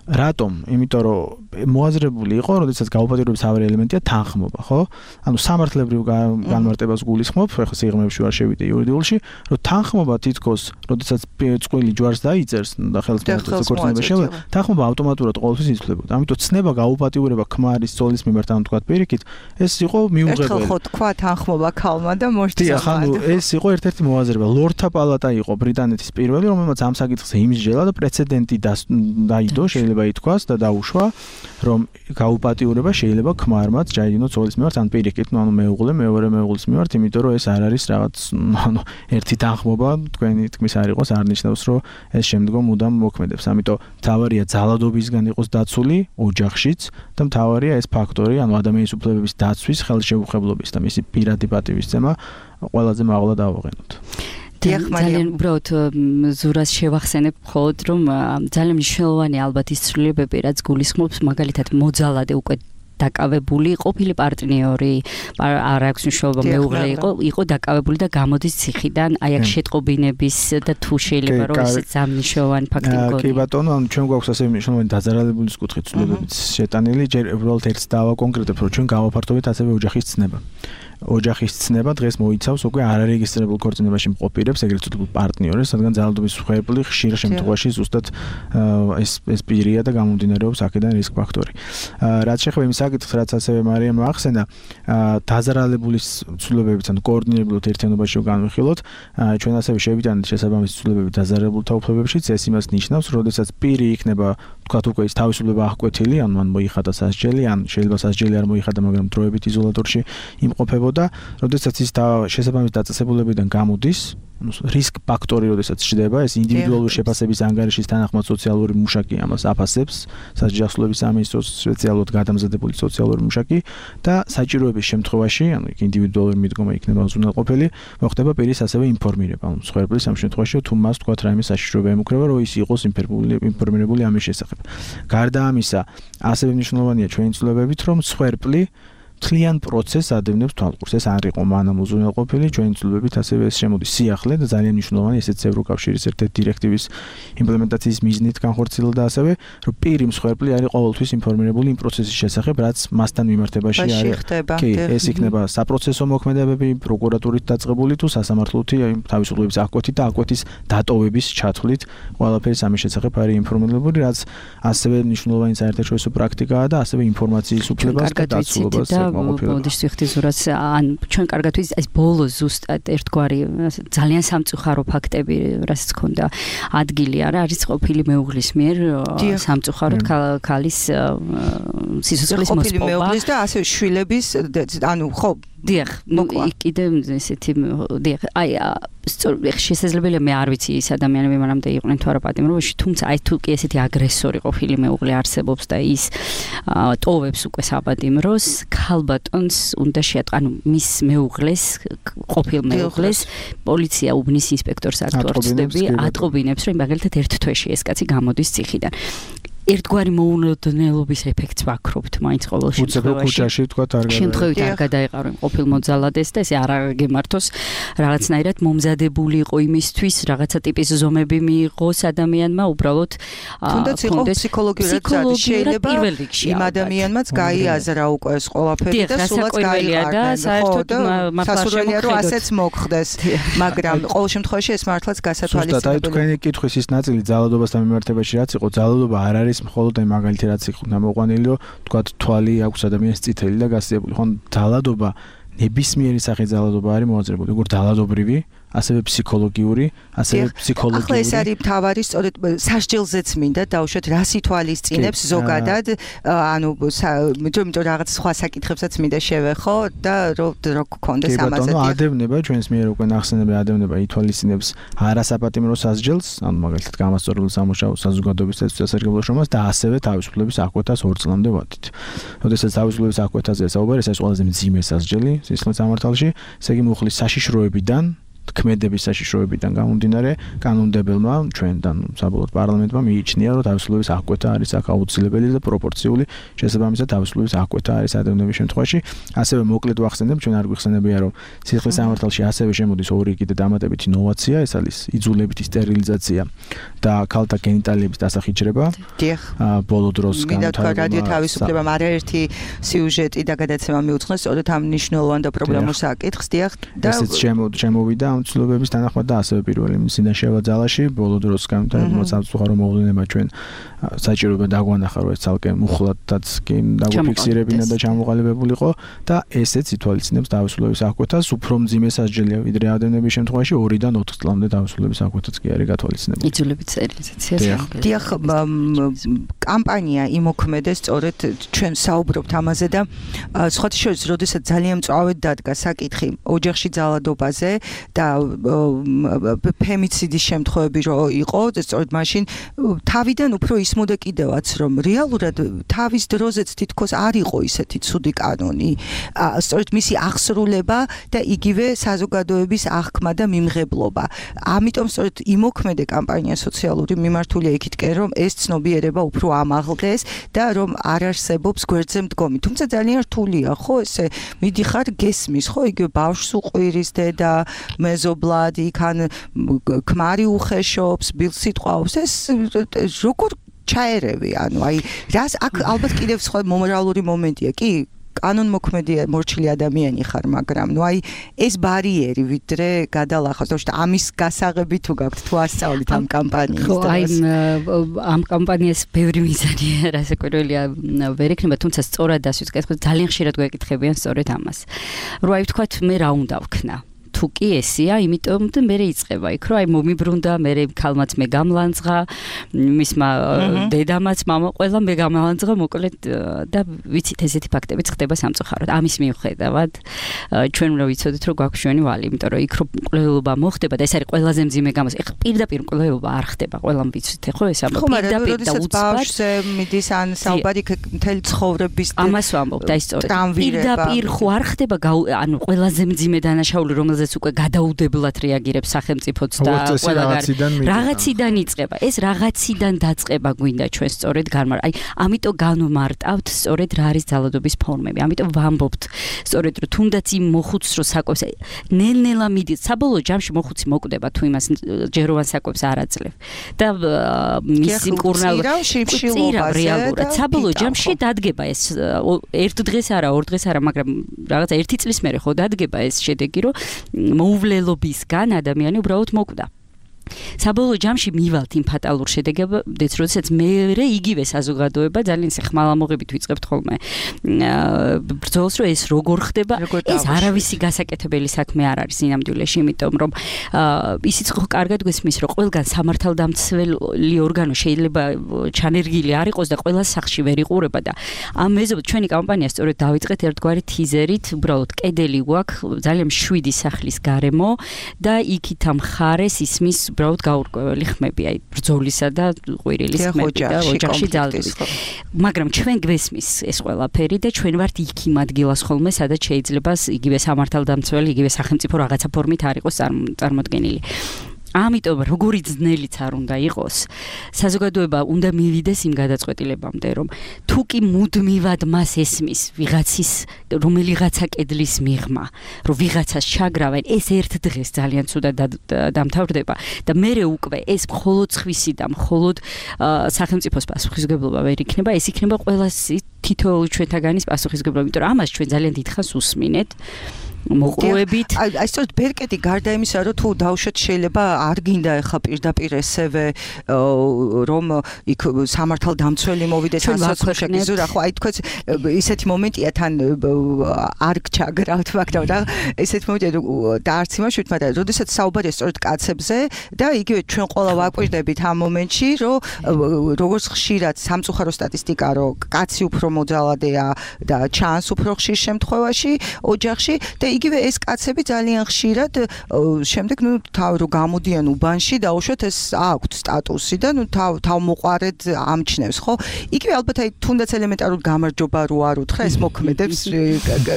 რატომ? იმიტომ რომ მოაზრებული იყო, როდესაც გაუპატიურების მთავარი ელემენტია თანხმობა, ხო? ანუ სამართლებრივ განმარტებას გულისხმობ, ახლა სიღრმეებში ვარ შევიდე იურიდიულში, რომ თანხმობა თითქოს, როდესაც წყვილი ჯვარს დაიწერს და ხელს მოაწერს ქორწინება შევა, თანხმობა ავტომატურად ყოველთვის იცვლებოდა. ამიტომ ცნება გაუპატიურება ქმარის ცოლის მიმართ, ანუ თქვა პირიქით, ეს იყო მიუღებელი. ერთხელ ხო თქვა თანხმობა ქალმა და მოშთილა. ანუ ეს იყო ერთ-ერთი მოაზრება. ლორდთა პალატა იყო ბრიტანეთის პირველი, რომელმაც ამ საკითხს იმსჯელა და პრეცედენტი დაიდო, შეიძლება ითქვას და დაუშვა, რომ გაუპატიურება შეიძლება ქმარმაც ჩაიდინოს ცოლის მიმართ ან პირიქით, ანუ მეუღლე მეორე მეუღლის მიმართ, იმიტომ რომ ეს არ არის რაღაც, ანუ ერთი თანხმობა, თქვენი თქმის არ იყოს, არ ნიშნავს, რომ ეს შემდგომ მუდამ მოქმედებს. ამიტომ მთავარია ძალადობისგან იყოს დაცული ოჯახშიც და მთავარია ეს ფაქტორი, ანუ ადამიანის უფლებების დაცვის, ხელშეუხებლობის და მისი პირადი პატივისცემა ყველაზე მაღლა დავაყენოთ. ძალიან უბრალოდ ზურას შევახსენებ მხოლოდ რომ ძალიან მნიშვნელოვანი ალბათ ის ცვლილებები რაც გულისხმობს მაგალითად მოძალადე უკვე დაკავებული ყოფილი პარტნიორი არ აქვს მნიშვნელობა მეუღლე იყო დაკავებული და გამოდის ციხიდან აი აქ შეტყობინების და თუ შეიძლება რომ ესეც ამნიშნულოვანი ფაქტი გქონდეს. კი ბატონო, ანუ ჩვენ გვაქვს ასევე მნიშვნელოვანი დაძარალებულის კუთხით ცვლილებებიც შეტანილი, ჯერ უბრალოდ ერთს დავაკონკრეტებ, რომ ჩვენ გავაფართოვეთ ასევე ოჯახის ცნება. ოჯახის ცნება დღეს მოიცავს უკვე არარეგისტრირებულ ქორწინებაში მყოფ პირებს, ეგრეთ წოდებულ პარტნიორებს, რადგან ძალადობის მსხვერპლი ხშირ შემთხვევაში ზუსტად ეს პირია და გამომდინარეობს აქედან რისკ ფაქტორი. რაც შეეხება იმ საკითხს, რაც ასევე მარიამ ახსენა, დაზარალებული ცვლილებებით ან კოორდინირებულად ერთიანობაში განვიხილოთ, ჩვენ ასევე შევიტანეთ შესაბამისი ცვლილებები დაზარალებულთა უფლებებშიც, ეს იმას ნიშნავს, როდესაც პირი იქნება, თქვათ უკვე ის თავისუფლება აღკვეთილი, ან მან მოიხადა სასჯელი, ან შეიძლება სასჯელი არ მოიხადა, მაგრამ დროებით იზოლატორში იმყოფებოდა, როდესაც ის შესაბამის დაწესებულებიდან გამოდის, რისკ ფაქტორი, როდესაც ჩდება, ეს ინდივიდუალური შეფასების ანგარიშის თანახმად სოციალური მუშაკი ამას აფასებს, სასჯელსვლების სამინისტროს სპეციალურად გადამზადებული სოციალური მუშაკი და საჭიროების შემთხვევაში, ანუ ინდივიდუალური მიდგომა იქნება უზრუნველყოფელი, მოხდება პირის ასევე ინფორმირება, ანუ მსხვერპლის ამ შემთხვევაში თუ მას თქვათ რაიმე საშიშროება ემუქრება, რომ ის იყოს ინფორმირებული ამის შესახებ. გარდა ამისა, ასევე მნიშვნელოვანია ჩვენი ცვლილებებით, რომ მსხვერპლი მთლიან პროცესს ადევნებს თვალყურს. ეს არ იყო მანამ უზრუნველყოფილი, ჩვენი ცვლილებებით ასევე ეს შემოდის სიახლე და ძალიან მნიშვნელოვანი ესეც ევროკავშირის ერთ-ერთი დირექტივის იმპლემენტაციის მიზნით განხორციელდა ასევე, რომ პირი მსხვერპლი არის ყოველთვის ინფორმირებული იმ პროცესის შესახებ, რაც მასთან მიმართებაში არის. კი, ეს იქნება საპროცესო მოქმედებები, პროკურატურით დაწყებული თუ სასამართლოთი თავისუფლების აღკვეთით და აღკვეთის დატოვების ჩათვლით, ყველაფერი ამის შესახებ არის ინფორმირებული, რაც ასევე მნიშვნელოვანი საერთაშორისო პრაქტიკაა და ასევე ინფორმაციის უფლებას და დაცულობას მოდის ვიხდიზურაც ან ჩვენ კარგად ვიცით ეს ბოლო ზუსტად ერთგვარი ძალიან სამწუხარო ფაქტები რასაც ქონდა ადგილი არის ყოფილი მეუღლის მიერ სამწუხაროდ ქალის სიცოცხლის მოსპობა მეუღლის და ასევე შვილების ანუ ხო დიახ კიდე ესეთი დიახ აი შესაძლებელია მე არ ვიცი ის ადამიანები მანამდე იყვნენ თუ არა პატიმრობაში თუმცა აი თუ კი ესეთი აგრესორი ყოფილი მეუღლე არსებობს და ის ტოვებს უკვე საპატიმროს ქალბატონს უნდა შეატყო ანუ მის მეუღლეს ყოფილ მეუღლეს პოლიცია უბნის ინსპექტორს არტყობინებს ატყობინებს რომ მაგალითად ერთ თვეში ეს კაცი გამოდის ციხიდან ერთგვარი მოუნოდნელობის ეფექტს ვაქრობთ მაინც ყოველ შემთხვევაში თქვა შემთხვევით არ გადაეყარო იმ ყოფილ მოძალადეს და ესე არ გემართოს რაღაცნაირად მომზადებული იყო იმისთვის რაღაცა ტიპის ზომები მიიღოს ადამიანმა უბრალოდ თუნდაც იყო ფსიქოლოგიურად შეიძლება იმ ადამიანმაც გაიაზრა უკვე ეს ყველაფერი და სულაც გაიყარა და საერთოდ სასურველია რომ ასეც მოხდეს მაგრამ ყოველ შემთხვევაში ეს მართლაც გასათვალისწინებელია ზუსტად აი თქვენი კითხვის ის ნაწილი ძალადობასთან მიმართებაში რაც იყო ძალადობა არ არის მხოლოდ აი მაგალითი რაც იყო გამოყვანილი რომ თქვათ თვალი აქვს ადამიანის წითელი და გასწიებული ხო ძალადობა ნებისმიერი სახის ძალადობა არის მოაძრებული როგორ ძალადობრივი ასევე ფსიქოლოგიური, ასევე ფსიქოლოგიური. ახლა ეს არის მთავარი სწორედ სასჯელზეც მინდა დავუშვათ რა სიტუალიზწინებს ზოგადად, ანუ იმიტომ რაღაც სხვა საკითხებსაც მინდა შევეხო და რო გქონდეს ამაზე. კი, ადევნება ჩვენს მიერ უკვე ნახსენები ადევნება ითვალისწინებს არასაპატიმრო სასჯელს, ანუ მაგალითად გამასწორებულ სამუშაო საზოგადოების სასარგებლო შრომას და ასევე თავისუფლების აღკვეთას 2 წლამდე ვადით. როდესაც თავისუფლების აღკვეთაზე საუბარი, ეს ყველაზე მძიმე სასჯელი სისხლის სამართალში, ესე იგი მუხლის საშიშროებიდან ქმედების საშიშროებიდან გამომდინარე კანონმდებელმა ჩვენთან საბოლოოდ პარლამენტმა მიიჩნია რომ თავისუფლების აღკვეთა არის აქ აუცილებელი და პროპორციული შესაბამისად თავისუფლების აღკვეთა არის ადევნების შემთხვევაში ასევე მოკლედ ვახსენებ ჩვენ არ გვიხსენებია რომ სისხლის სამართალში ასევე შემოდის ორი კიდე დამატებითი ნოვაცია ეს არის იძულებითი სტერილიზაცია და ქალთა გენიტალიების დასახიჩრება ბოლო დროს განვითარება რადიო თავისუფლებამ არაერთი სიუჟეტი და გადაცემა მიუძღვნეს სწორედ ამ მნიშვნელოვან და პრობლემურ საკითხს დიახ და ესეც შემოვიდა ამ ცვლილებების თანახმად და ასევე პირველი მისიდან შევა ძალაში ბოლო დროს განვითარებულმა სამწუხარო მოვლენებმა ჩვენ საჭიროება დაგვანახა რომ ეს ცალკე მუხლადაც კი დაგვიფიქსირებინა და ჩამოყალიბებულიყო და ესეც ითვალისწინებს თავისუფლების აღკვეთას უფრო მძიმე სასჯელია ვიდრე ადევნების შემთხვევაში 2-დან 4 წლამდე თავისუფლების აღკვეთაც კი არის გათვალისწინებული იძულებით სტერილიზაციას დიახ კამპანია იმოქმედეს სწორედ ჩვენ საუბრობთ ამაზე და სხვათა შორის როდესაც ძალიან მწვავედ დადგა საკითხი ოჯახში ძალადობაზე და ფემიციდის შემთხვევები რო იყო სწორედ მაშინ თავიდან უფრო ისმოდა კიდევაც რომ რეალურად თავის დროზეც თითქოს არ იყო ისეთი ცუდი კანონი სწორედ მისი აღსრულება და იგივე საზოგადოების აღქმა და მიმღებლობა ამიტომ სწორედ იმოქმედე კამპანია სოციალური მიმართულია იქითკენ რომ ეს ცნობიერება უფრო ამაღლდეს და რომ არ არსებობს გვერდზე მდგომი თუმცა ძალიან რთულია ხო ესე მიდიხარ გესმის ხო იგივე ბავშვს უყვირის დედა მეზობლად იქან ქმარი უხეშობს ბილს სიტყვავს ეს როგორ ჩაერევი ანუ აი რას აქ ალბათ კიდევ სხვა მომრალური მომენტია კი კანონმოქმედი მორჩილი ადამიანი ხარ, მაგრამ ნუ აი ეს ბარიერი ვიდრე გადალახავს, თორემ ამის გასაღები თუ გაქვთ თუ ასწავლით ამ კამპანიის დროს. აი ამ კამპანიას ბევრი მიზანი რასაკვირველია ვერ ექნება, თუმცა სწორად დასვით კითხვა ძალიან ხშირად გვეკითხებიან სწორედ ამას. რომ აი ვთქვათ მე რა უნდა ვქნა? თუ კი ესია, იმიტომ მე იწყება იქ, რომ აი მომიბრუნდა, მე ქალმაც მე გამლანძღა, მისმა დედამაც, მამა ყველა მე გამლანძღა, მოკლედ და ვიცით ესეთი ფაქტებიც ხდება სამწუხაროდ. ამის მიუხედავად ჩვენ უნდა ვიცოდეთ, რომ გვაქვს ჩვენი ვალი, იმიტომ რომ იქ რო მკვლელობა მოხდება და ეს არის ყველაზე მძიმე გამოსა. ეხლა პირდაპირ მკვლელობა არ ხდება, ყველამ ვიცით, ხო ეს ამბობ პირდაპირ და უცბად მიდის ან საუბარი მთელი ცხოვრების ამას ვამბობ და ის სწორედ პირდაპირ ხო არ ხდება, ანუ ყველაზე მძიმე დანაშაული რომელზეც უკვე გადაუდებლად რეაგირებს სახელმწიფოც და ყველაგან რაღაციდან იწყება. ეს რაღაციდან დაწყება გვინდა ჩვენ სწორედ აი ამიტომ განვმარტავთ სწორედ რა არის ძალადობის ფორმები. ამიტომ ვამბობთ სწორედ რომ თუნდაც იმ მოხუცს რო საკვებს ნელ-ნელა მიდის საბოლოო ჯამში მოხუცი მოკვდება თუ იმას ჯეროვან საკვებს არ აძლევ და მისი მკურნალობა რეალურად საბოლოო ჯამში დადგება ეს ერთ დღეს არა ორ დღეს არა მაგრამ რაღაცა ერთი წლის მერე ხო დადგება ეს შედეგი რომ მოუვლელობისგან ადამიანი უბრალოდ მოკვდა. საბოლოო ჯამში მივალთ იმ ფატალურ შედეგებამდე, როდესაც მე იგივე საზოგადოება ძალიან ხმალამოღებით ვიწყებთ ხოლმე ბრძოლას, რომ ეს როგორ ხდება, ეს არავისი გასაკეთებელი საქმე არ არის ინამდვილეში, იმიტომ რომ ისიც ხო კარგად გვესმის, რომ ყველგან სამართალდამცველი ორგანო შეიძლება ჩანერგილი არ იყოს და ყველა სახში ვერ იყურება და ამ მეზობლად ჩვენი კამპანია სწორედ დავიწყეთ ერთგვარი თიზერით, უბრალოდ კედელი გვაქვს ძალიან მშვიდი სახლის გარემო და იქით ამ ხარეს ისმის უბრალოდ გაურკვეველი ხმები, აი ბრძოლისა და ყვირილის ხმები და ოჯახში ძალდვის. მაგრამ ჩვენ გვესმის ეს ყველაფერი და ჩვენ ვართ იქ იმ ადგილას ხოლმე, სადაც შეიძლება იგივე სამართალდამცველი, იგივე სახელმწიფო რაღაცა ფორმით არ იყოს წარმოდგენილი. ამიტომ როგორი ძნელიც არ უნდა იყოს, საზოგადოება უნდა მივიდეს იმ გადაწყვეტილებამდე, რომ თუ კი მუდმივად მას ესმის ვიღაცის რომელიღაცა კედლის მიღმა, რომ ვიღაცას ჩაგრავენ, ეს ერთ დღეს ძალიან ცუდად დამთავრდება და მერე უკვე ეს მხოლოდ ხვისი და მხოლოდ სახელმწიფოს პასუხისმგებლობა ვერ იქნება, ეს იქნება ყველას თითოეული ჩვენთაგანის პასუხისმგებლობა, იმიტომ რომ ამას ჩვენ ძალიან დიდხანს უსმინეთ. მოყრუებით. აი სწორედ ბერკეტი გარდა იმისა, რომ თუ დავუშვათ შეიძლება არ გინდა ახლა პირდაპირ ესევე რომ იქ სამართალდამცველი მოვიდეს ასოციაციაზე, ხო აი თქვენ ისეთი მომენტია თან არ გჩაგრავთ მაგრამ და ესეთი მომენტია და არც იმაშვით, მაგრამ როდესაც საუბარია სწორედ კაცებზე და იგივე ჩვენ ყველა ვაკვირდებით ამ მომენტში, რომ როგორც ხშირად სამწუხარო სტატისტიკა, რომ კაცი უფრო მოძალადეა და ჩანს უფრო ხშირ შემთხვევაში ოჯახში და იგივე ეს კაცები ძალიან ხშირად შემდეგ რო გამოდიან უბანში დაუშვათ ეს აქვთ სტატუსი და თავმოყარედ ამჩნევს, ხო? იგივე ალბათ აი თუნდაც ელემენტარულ გამარჯობა რო არ უთხრა ეს მოქმედებს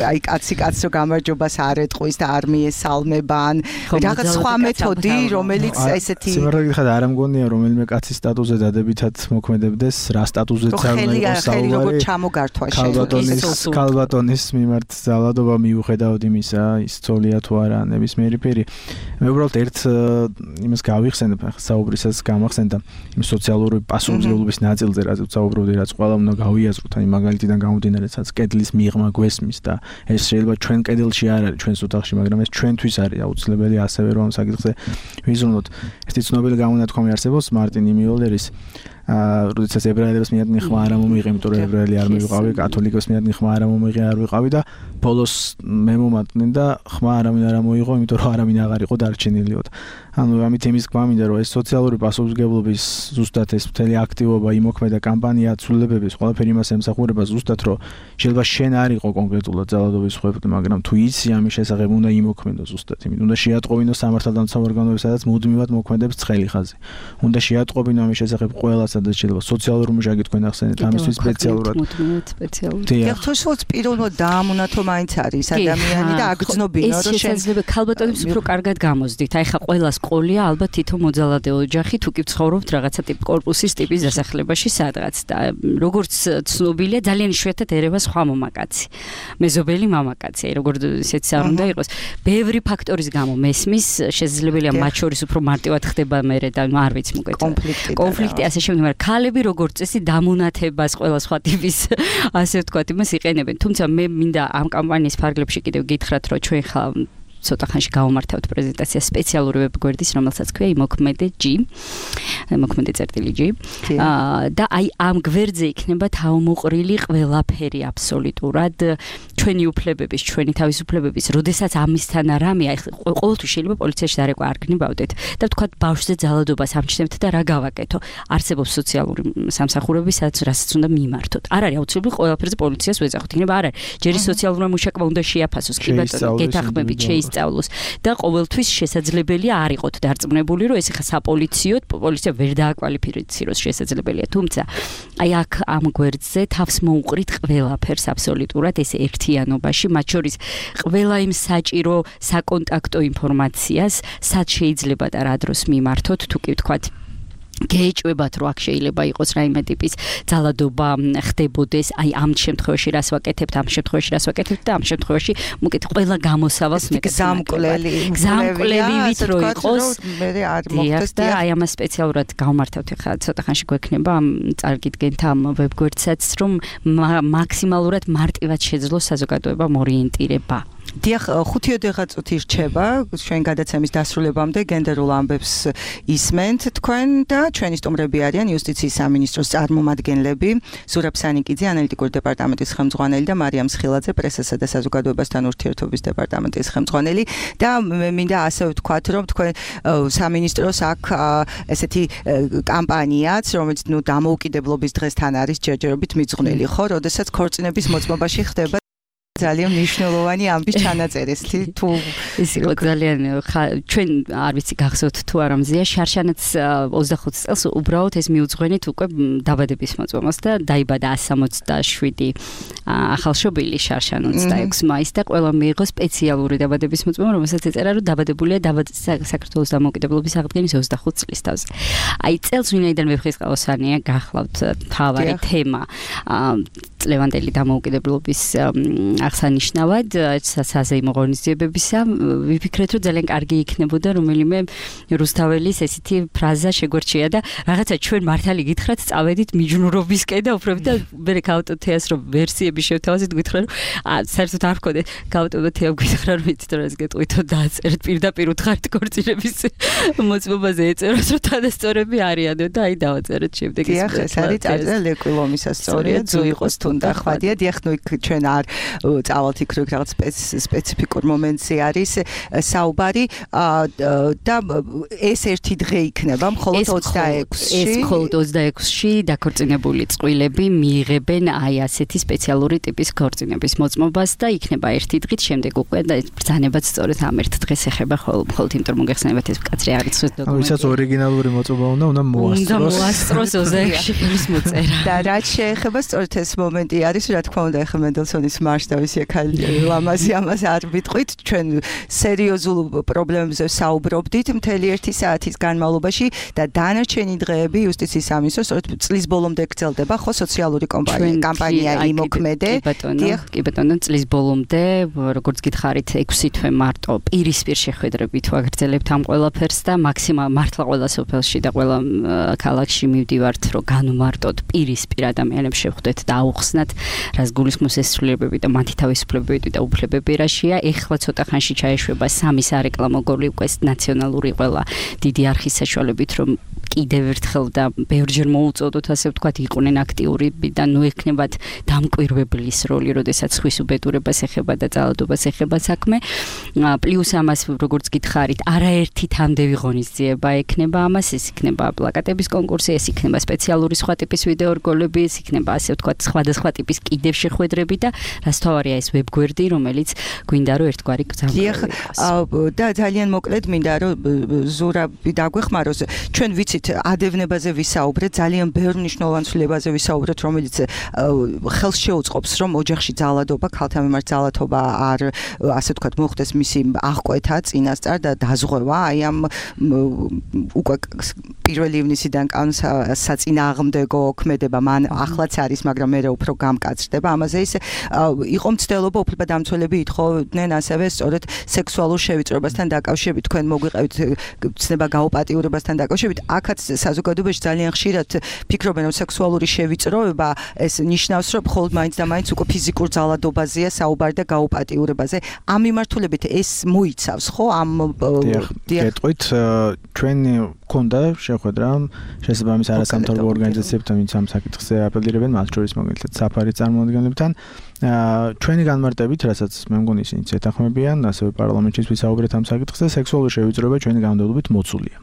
აი კაცი კაცს რო გამარჯობას არ ეტყვის და არ მიესალმება ან რაღაც სხვა მეთოდი რომელიც ესეთი სიმართლე გითხრათ არ ამგონია რომელიმე კაცის სტატუსზე დადებითად მოქმედებდეს რა სტატუსზეც არ უნდა იყოს საუბარი როგორ ჩამოგართვა ქალბატონის მიმართ ძალადობა მიუხედავად იმისა ის ცოლია თუ არა ნებისმიერი პირი მე უბრალოდ ერთ იმას გავიხსენებ ახლა საუბრისას გამახსენდა იმ სოციალური პასუხისმგებლობის ნაწილზე რაც საუბრობდი რაც ყველა უნდა გავიაზროთ აი მაგალითიდან გამომდინარე რაც კედლის მიღმა გვესმის და ეს შეიძლება ჩვენ კედელში არ არის ჩვენს ოთახში მაგრამ ეს ჩვენთვის არის აუცილებელი ასევე რომ საკითხზე ვიზრუნოთ ერთი ცნობილი გამონათქვამი არსებობს მარტინ იმიოლერის როდესაც ებრაელებს მიადგენ ხმა არ მომიღე, იმიტომ რომ ებრაელი არ მივიყავი, კათოლიკოს მიადგენ ხმა არ მომიღე, არ ვიყავი და ბოლოს მე მომატნენ და ხმა არავინ არ მოიღო, იმიტომ რომ არავინ აღარ იყო დარჩენილიოდ. ანუ ამით იმის გვამინდა რომ ეს სოციალური პასუხისმგებლობის ზუსტად ეს მთელი აქტივობა, იმოქმედა კამპანია ცვლილებების ყველაფერი იმას ემსახურება ზუსტად რომ შეიძლება შენ არ იყო კონკრეტულად ძალადობის ხვეპი, მაგრამ თუ იცი ამის შესახებ უნდა იმოქმედო ზუსტად, იმიტომ უნდა შეატყობინო სამართალდამცავ ორგანოებს, სადაც მუდმივად მოქმედებს ცხელი ხაზი. უნდა შეატყობინო ამის შესახებ ყველას სადაც შეიძლება სოციალურ მუშაკი თქვენ ახსენეთ ამისთვის სპეციალურად. დიახ, თორსოც პირველად დაამონათო მაინც არის ადამიანი და აგრძნობინო რომ შეიძლება ქალბატონებს უფრო კარგად გამოსდით. აი ხა ყველას ყოლია ალბათ თითო მოძალადე ოჯახი თუ კი ვცხოვრობთ რაღაცა ტიპ კორპუსის ტიპის დასახლებაში სადღაც და როგორც ცნობილია ძალიან იშვიათად ერევა სხვა მამაკაცი. მეზობელი მამაკაცი, აი როგორც ისეც არ უნდა იყოს. ბევრი ფაქტორის გამო მესმის, შესაძლებელია მათ შორის უფრო მარტივად ხდება მერე და არ ვიცი მოკეთ. კონფლიქტი ასე შემდეგ, მაგრამ ქალები როგორც წესი დამონათებას ყველა სხვა ტიპის ასე ვთქვათ იმას იყენებენ. თუმცა მე მინდა ამ კამპანიის ფარგლებში კიდევ გითხრათ, რომ ჩვენ ხა ცოტა ხანში გავამართავთ პრეზენტაცია სპეციალური ვებგვერდის, რომელსაც ქვია იმოქმედე.g. და აი ამ გვერდზე იქნება თავმოყრილი ყველაფერი აბსოლუტურად ჩვენი უფლებების, ჩვენი თავისუფლებების, როდესაც ამისთან რამე, აი ყოველთვის შეიძლება პოლიციაში დარეკვა არ გნებავდეთ და ვთქვათ ბავშვზე ძალადობას ამჩნევთ და რა გავაკეთო. არსებობს სოციალური სამსახურები, რასაც უნდა მიმართოთ. არ არის აუცილებელი ყველაფერზე პოლიციას ვეძახოთ. იქნება არ არის. ჯერი სოციალურმა მუშაკმა უნდა შეაფასოს, კი ბატონო, გეთახმებით, შეისწავლოს და ყოველთვის შესაძლებელია არ იყოთ დარწმუნებული, რომ ეს ხა საპოლიციო პოლიცია ვერ დააკვალიფიციროს შესაძლებელია. თუმცა აი აქ ამ გვერდზე თავს მოუყრით ყველაფერს აბსოლუტურად ეს ერთიანობაში, მათ შორის ყველა იმ საჭირო საკონტაქტო ინფორმაციას, სად შეიძლება და რა დროს მიმართოთ, თუ კი ვთქვათ გეჭვებათ, რომ აქ შეიძლება იყოს რაიმე ტიპის ძალადობა ხდებოდეს, აი ამ შემთხვევაში რას ვაკეთებთ, ამ შემთხვევაში რას ვაკეთებთ და ამ შემთხვევაში მოკეთ ყველა გამოსავალს გზამკვლელივით რო იყოს მე არ მოხდეს და აი ამას სპეციალურად გავმართავთ ხა ცოტა ხანში გვექნება ამ წარგიდგენთ ამ ვებგვერდსაც, რომ მაქსიმალურად მარტივად შეძლოს საზოგადოებამ ორიენტირება. დიახ, 5-10 წუთი რჩება ჩვენ გადაცემის დასრულებამდე გენდერულ ამბებს ისმენთ თქვენ და ჩვენი სტუმრები არიან იუსტიციის სამინისტროს წარმომადგენლები ზურაბ სანიკიძე, ანალიტიკური დეპარტამენტის ხელმძღვანელი და მარიამ სხილაძე, პრესასა და საზოგადოებასთან ურთიერთობის დეპარტამენტის ხელმძღვანელი და მე მინდა ასე ვთქვათ, რომ თქვენ სამინისტროს აქ ესეთი კამპანიაც, რომელიც დამოუკიდებლობის დღესთან არის ჯერჯერობით მიძღვნილი, ხო, როდესაც ქორწინების მოწმობაში ხდება ძალიან მნიშვნელოვანი ამბის ჩანაწერის თუ ის იყო ძალიან ჩვენ არ ვიცი გახსოვთ თუ არა მზია შარშანაც 25 წელს უბრალოდ ეს მიუძღვენით უკვე დაბადების მოწმობას და დაიბადა 167 ახალშობილი შარშან 26 მაისს და ყველა მიიღო სპეციალური დაბადების მოწმობა, რომელსაც ეწერა რომ დაბადებულია საქართველოს დამოუკიდებლობის აღდგენის 25 წლის თავზე. აი წელს ვინაიდან ვეფხისტყაოსანია გახლავთ თავარი თემა წლევანდელი დამოუკიდებლობის აღსანიშნავად საზეიმო ღონისძიებებისა ვიფიქრეთ რომ ძალიან კარგი იქნებოდა რომელიმე რუსთაველის ესეთი ფრაზა შეგვერჩია და რაღაცა ჩვენ მართალი გითხრათ წავედით მიჯნურობისკენ და უფრო და მე გავტოთეას რომ ვერსიები შევთავაზეთ გითხრა რომ საერთოდ არ ვქონდე გავტოთეა გითხრა რომ იცით რომ ეს გეტყვითო დააწერეთ პირდაპირ უთხარით ქორწინების მოწმობაზე ეწეროს რომ თანასწორები არიანო და აი დავაწერეთ შემდეგ ეს არის წარწერა ლეკვილომისა სწორია ძუ იყოს თუნდა ხვადია დიახ ნუ ჩვენ არ წავალთ იქ რაღაც სპეციფიკურ მომენტზე არის საუბარი და ეს ერთი დღე იქნება მხოლოდ 26-ში ეს მხოლოდ 26-ში დაქორწინებული წყვილები მიიღებენ აი ასეთი სპეციალური ტიპის ქორწინების მოწმობას და იქნება ერთი დღით შემდეგ უკვე და ბრძანებაც სწორედ ამ ერთ დღეს ეხება მხოლოდ იმიტომ რომ მოგეხსენებათ ეს კაცრი არის დოკუმენტი ვისაც ორიგინალური მოწმობა უნდა მოასწროს 26-ში ფერის მოწერა და რაც შეეხება სწორედ ეს მომენტი არის რა თქმა უნდა ეხა მენდელსონის მარშ და ვისი ლამაზი ამას არ ვიტყვით ჩვენ სერიოზულ პრობლემებზე საუბრობდით მთელი 1 საათის განმავლობაში და დანარჩენი დღეები იუსტიციის სამინისტროს სწორედ წლის ბოლომდე გრძელდება ხო სოციალური კამპანია იმოქმედე კი ბატონო წლის ბოლომდე როგორც გითხარით 6 თვე მარტო პირისპირ შეხვედრებით ვაგრძელებთ ამ ყველაფერს და მართლა ყველა სოფელში და ყველა ქალაქში მივდივართ რომ განვმარტოთ პირისპირ ადამიანებს შევხვდეთ და აუხსნათ რას გულისხმობს ეს ცვლილებები და მათი თავისუფლებები და უფლებები რაშია. ეხლა ცოტა ხანში ჩაეშვება 3 სარეკლამო გოლი უკვე ნაციონალური ყველა დიდი არხის საშუალებით რომ კიდევ ერთხელ და ბევრჯერ მოუწოდოთ ასე ვთქვათ იყვნენ აქტიურები და ნუ ექნებათ დამკვირვებლის როლი, როდესაც ხვის უბედურებას ეხება და ძალადობას ეხება საქმე. პლუს ამას როგორც გითხარით, არაერთი თამდევი ღონისძიება ექნება ამას, ეს იქნება პლაკატების კონკურსი, ეს იქნება სპეციალური სხვა ტიპის ვიდეო რგოლები, ეს იქნება ასე ვთქვათ სხვადასხვა ტიპის კიდევ შეხვედრები და რასთავარია ეს ვებგვერდი, რომელიც გვინდა რომ ერთგვარი გზამკვლელი იყოს. და ძალიან მოკლედ მინდა რომ ზურაბი დაგვეხმაროს. ჩვენ ვიცით ადევნებაზე ვისაუბრეთ, ძალიან ბევრ მნიშვნელოვან ცვლილებაზე ვისაუბრეთ, რომელიც ხელს შეუწყობს, რომ ოჯახში ძალადობა, ქალთა მიმართ ძალადობა არ ასე ვთქვათ მოხდეს მისი აღკვეთა წინასწარ და დაზღვევა, აი ამ უკვე 1 ივნისიდან კანონს საწინააღმდეგო ქმედება მან ახლაც არის, მაგრამ მე უფრო უფრო გამკაცრდება. ამაზე ის იყო მცდელობა უფლებადამცველები ითხოვდნენ ასევე სწორედ სექსუალურ შევიწროებასთან დაკავშირებით თქვენ მოგვიყევით ცნება გაუპატიურებასთან დაკავშირებით. აქაც საზოგადოებაში ძალიან ხშირად ფიქრობენ რომ სექსუალური შევიწროება ეს ნიშნავს რომ მხოლოდ მაინც და მაინც უკვე ფიზიკურ ძალადობაზეა საუბარი და გაუპატიურებაზე. ამ მიმართულებით ეს მოიცავს ხო ამ გეტყვით ჩვენ ქონდა შეხვედრა შესაბამის არასამთავრობო ორგანიზაციებთან ვინც ამ საკითხზე აპელირებენ მათ შორის მაგალითად საფარის წარმომადგენლებთან ჩვენი განმარტებით რასაც მე მგონი ისინიც ეთანხმებიან ასევე პარლამენტში ვისაუბრეთ ამ საკითხზე სექსუალური შევიწროება ჩვენი განმავლობით მოცულია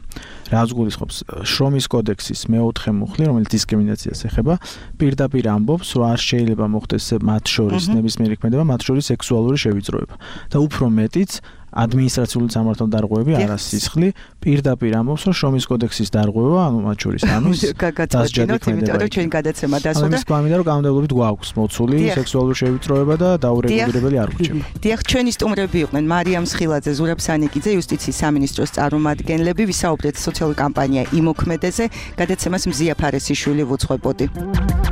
რაც გულისხმობს შრომის კოდექსის მე-4 მუხლი რომელიც დისკრიმინაციას ეხება პირდაპირ ამბობს რომ არ შეიძლება მოხდეს მათ შორის ნებისმიერი ქმედება მათ შორის სექსუალური შევიწროება და უფრო მეტიც ადმინისტრაციული სამართალ დარღვევები არასისხლი პირდაპირ ამბობს რომ შრომის კოდექსის დარღვევა ანუ მათ შორის ამის გაგაცნობინოთ იმიტომ რომ ჩვენ გადაცემა დასრულდა ამის გვამინდა რომ გამოდებლობით გვაქვს მოცული სექსუალური შევიწროება და დაურეგულირებელი არ ვრჩება დიახ ჩვენი სტუმრები იყვნენ მარიამ სხილაძე ზურაბ სანიკიძე იუსტიციის სამინისტროს წარმომადგენლები ვისაუბრეთ სოციალური კამპანია იმოქმედეზე გადაცემას მზია ფარესიშვილი ვუძღვებოდი